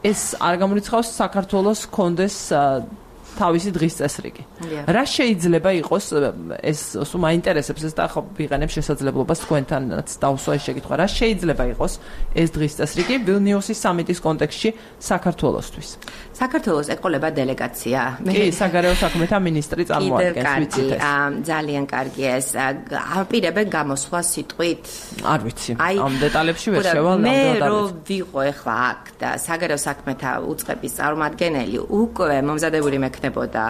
ეს არ გამორიცხავს საქართველოს კონდეს თავისი დღის წესრიგი. რა შეიძლება იყოს ეს სულ მაინტერესებს ეს და ხო ვიყენებ შესაძლებლობას თქვენთანაც დავსვა ეს შეკითხვა. რა შეიძლება იყოს ეს დღის წესრიგი ვილნიუსის სამიტის კონტექსტში საქართველოსთვის? საქართველოს ეყოლება დელეგაცია. კი, საგარეო საქმეთა მინისტრი წარმოადგენს, ვიცით ეს. ძალიან კარგი ეს. აპირებენ გამოსვლა სიტყვით? არ ვიცი. ამ დეტალებში ვერ შევალ ნამდვილად. მე რო ვიყო ახლა აქ და საგარეო საქმეთა უწყების წარმომადგენელი უკვე მომზადებული მექნებოდა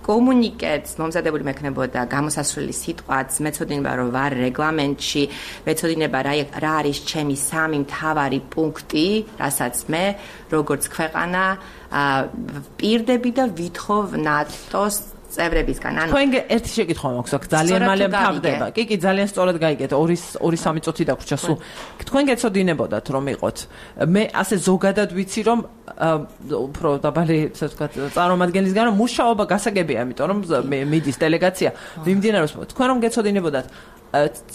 კომუნიკეტს მომზადებული მექნებოდა გამოსასვლელი სიტყვაც მეცოდინება რომ ვარ რეგლამენტში მეცოდინება რა რა არის ჩემი სამი მთავარი პუნქტი რასაც მე როგორც ქვეყანა პირდები და ვითხოვ ნატოს წევრებისგან ანუ თქვენ ერთი შეკითხვა მაქვს აქ ძალიან მალე მთავრდება კი კი ძალიან სწორად გაიგეთ ორი ორი სამი წუთი დაგვრჩა სულ თქვენ გეცოდინებოდათ რომ იყოთ მე ასე ზოგადად ვიცი რომ უფრო დაბალი ასე ვთქვათ წარმომადგენლისგან რომ მუშაობა გასაგებია იმიტომ რომ მიდის დელეგაცია მიმდინარეობს თქვენ რომ გეცოდინებოდათ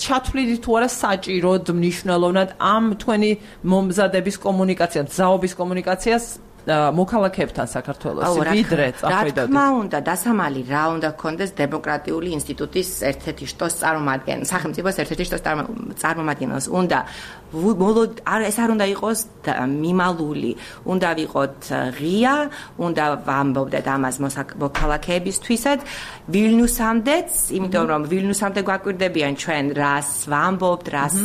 ჩათვლით თუ არა საჭიროდ მნიშვნელოვნად ამ თქვენი მომზადების კომუნიკაციას ზაობის კომუნიკაციას მოქალაქეებთან საქართველოს ვიდრე წახვიდოდით. რა თქმა უნდა, დასამალი რა უნდა გქონდეს დემოკრატიული ინსტიტუტის ერთ-ერთი შტოს წარმომადგენელს, სახელმწიფოს ერთ-ერთი შტოს წარმომადგენელს. უნდა არ ეს არ უნდა იყოს მიმალული, უნდა ვიყოთ ღია, უნდა ვამბობდეთ ამას მოქალაქეებისთვისაც, ვილნიუსამდეც, იმიტომ რომ ვილნიუსამდე გვაკვირდებიან ჩვენ რას ვამბობთ, რას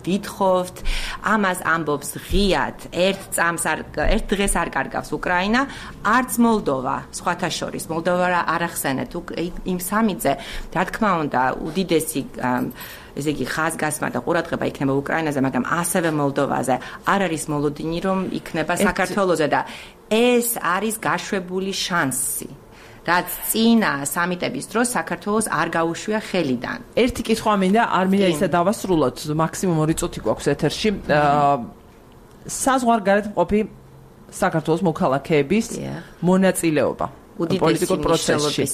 ვითხოვთ, ამას ამბობს ღიად, ერთ წამს არ ერთ დღეს არ კარგავს უკრაინა, არც მოლდოვა, სხვათა შორის, მოლდოვა არ ახსენეთ იმ სამიტზე, რა თქმა უნდა, უდიდესი ესე იგი ხაზგასმა და ყურადღება იქნება უკრაინაზე, მაგრამ ასევე მოლდოვაზე არ არის მოლოდინი, რომ იქნება საქართველოზე და ეს არის გაშვებული შანსი. რაც წინა სამიტების დროს საქართველოს არ გაუშვია ხელიდან. ერთი კითხვა მინდა, არ მინდა ისე დავასრულოთ, მაქსიმუმ ორი წუთი გვაქვს ეთერში. საზღვარგარეთ მყოფი საქართველოს მოქალაქეების მონაწილეობა პოლიტიკურ პროცესში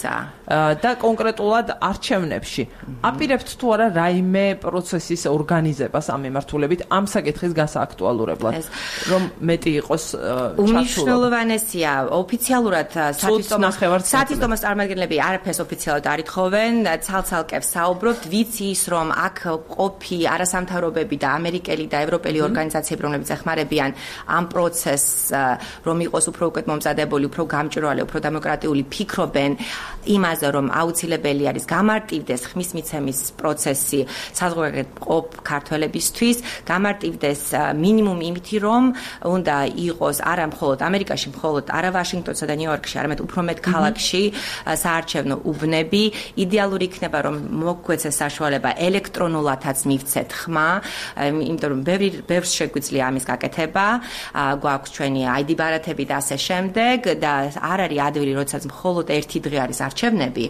და კონკრეტულად არჩევნებში. აპირებთ თუ არა რაიმე პროცესის ორგანიზებას ამ მიმართულებით ამ საკითხის გასააქტუალურებლად, რომ მეტი იყოს ჩართულობა. უმნიშვნელოვანესია ოფიციალურად სათვისტომოს წარმომადგენლები არაფერს ოფიციალურად არ ითხოვენ, ცალ-ცალკე საუბრობთ, ვიცი ის რომ აქ ყოფი არასამთავრობები და ამერიკელი და ევროპელი ორგანიზაციები, რომლებიც ეხმარებიან ამ პროცესს, რომ იყოს უფრო უკეთ მომზადებული, უფრო გამჭვირვალე, უფრო დემოკრატიული ფიქრობენ იმაზე, რომ აუცილებელი არის გამარტივდეს ხმის მიცემის პროცესი საზღვარგარეთ ქართველებისთვის, გამარტივდეს მინიმუმ იმითი, რომ უნდა იყოს არა მხოლოდ ამერიკაში, მხოლოდ არა ვაშინგტონსა და ნიუ-იორკში, არამედ უფრო მეტ ქალაქში საარჩევნო უბნები. იდეალური იქნება, რომ მოგგვეცეს საშუალება ელექტრონულადაც მივცეთ ხმა, იმიტომ რომ ბევრი ბევრს შეგვიძლია ამის გაკეთება, გვაქვს ჩვენი აი დი ბარათები და ასე შემდეგ და არ არის ადვილი, როდესაც მხოლოდ ერთი დღე არის არჩევნები,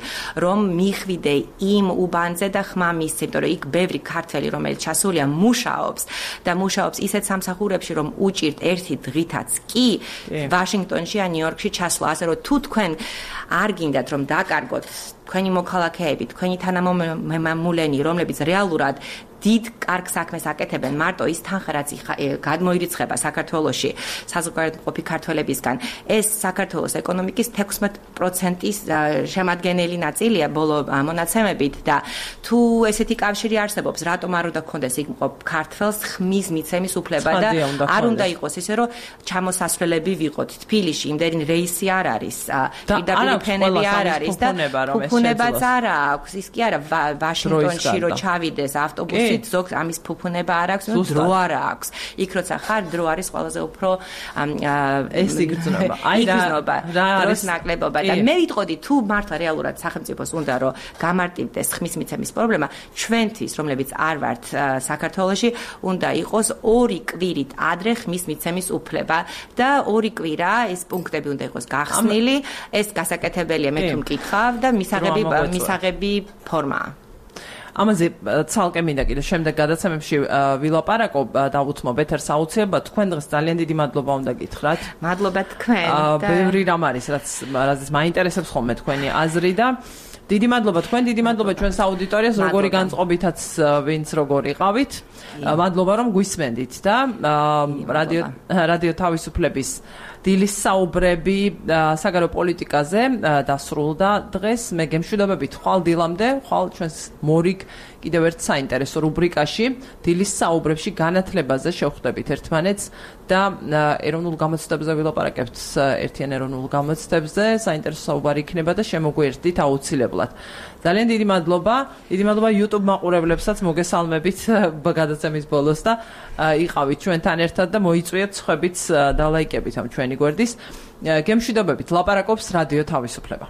რომ მიხვიდე იმ უბანზე და ხმა მისცე, იმიტომ რომ იქ ბევრი ქართველი, რომელიც ჩასულია, მუშაობს და მუშაობს ისეთ სამსახურებში, რომ უჭირთ ერთი დღითაც კი ვაშინგტონში ან ნიუ-იორკში ჩასვლა, ასე რომ თუ თქვენ არ გინდათ რომ დაკარგოთ თქვენი მოქალაქეები, თქვენი თანამემამულენი, რომლებიც რეალურად დიდ კარგ საქმეს აკეთებენ, მარტო ის თანხა რაც გადმოირიცხება საქართველოში საზღვარგარეთ მყოფი ქართველებისგან, ეს საქართველოს ეკონომიკის თექვსმეტ პროცენტის შემადგენელი ნაწილია ბოლო მონაცემებით და თუ ესეთი კავშირი არსებობს, რატომ არ უნდა გქონდეს იქ მყოფ ქართველს ხმის მიცემის უფლება და არ უნდა იყოს ისე, რომ ჩამოსასვლელები ვიყოთ თბილისში, იმდენი რეისი არ არის, პირდაპირ ფენები არ არის და ფუფუნებაც არ აქვს, ის კი არა ვაშინგტონში რო ჩავიდეს ავტობუსი ზოგ ამის ფუფუნება არ აქვს, დრო არ აქვს. იქ როცა ხარ, დრო არის ყველაზე უფრო ეს იგრძნობა. აი რა დროს ნაკლებობა და მე ვიტყოდი თუ მართლა რეალურად სახელმწიფოს უნდა რომ გამარტივდეს ხმის მიცემის პრობლემა, ჩვენთვის, რომლებიც არ ვართ საქართველოში, უნდა იყოს ორი კვირით ადრე ხმის მიცემის უფლება და ორი კვირა ეს პუნქტები უნდა იყოს გახსნილი, ეს გასაკეთებელია მე თუ მკითხავ და მისაღები მისაღები ფორმაა. ამაზე ცალკე მინდა კიდე შემდეგ გადაცემებში ვილაპარაკო დავუთმობ ეთერს აუცილებლად. თქვენ დღეს ძალიან დიდი მადლობა უნდა გითხრათ. მადლობა თქვენ. ბევრი რამ არის, რაც რაც მაინტერესებს ხოლმე თქვენი აზრი და დიდი მადლობა თქვენ, დიდი მადლობა ჩვენს აუდიტორიას, როგორი განწყობითაც ვინც როგორი ყავით. მადლობა რომ გვისმენდით და რადიო რადიო თავისუფლების დილის საუბრები საგარეო პოლიტიკაზე დასრულდა დღეს. მე გემშვიდობებით ხვალ დილამდე, ხვალ ჩვენს მორიგ კიდევ ერთ საინტერესო რუბრიკაში დილის საუბრებში განათლებაზე შევხვდებით ერთმანეთს და ეროვნულ გამოცდებზე ვილაპარაკებთ ერთიან ეროვნულ გამოცდებზე. საინტერესო საუბარი იქნება და შემოგვიერთდით აუცილებლად. ძალიან დიდი მადლობა. დიდი მადლობა YouTube მაყურებლებსაც, მოგესალმებით გადაცემის ბოლოს და იყავით ჩვენთან ერთად და მოიწვიეთ სხვებიც და ლაიკებით ამ ჩვენი გვერდის. გემშვიდობებით, ლაპარაკობს რადიო თავისუფლება.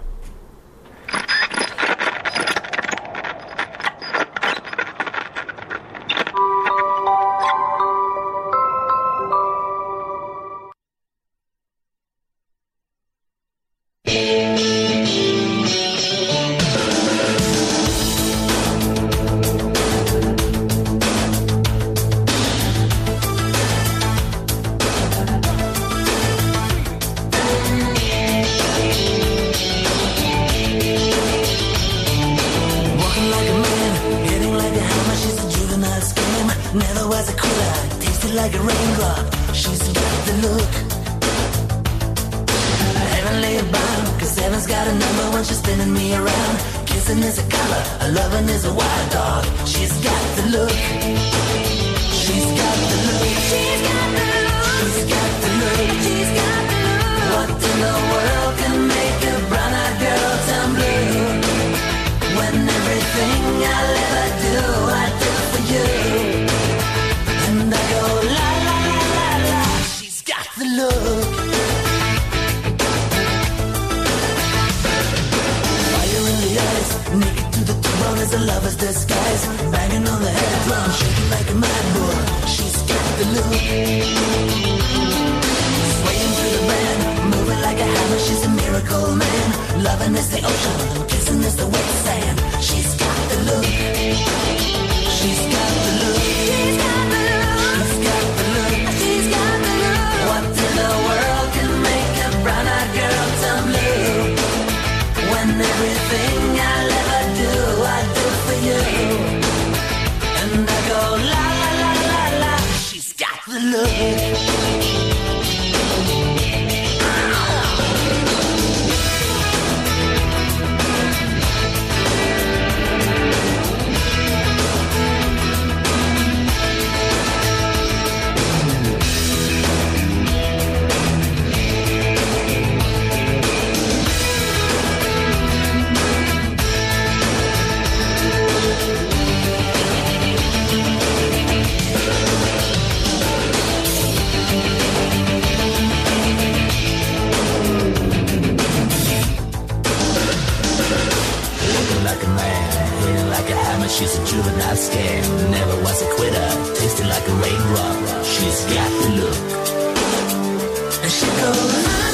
hair, never was a quitter, tasted like a raindrop. She's got the look. And she goes.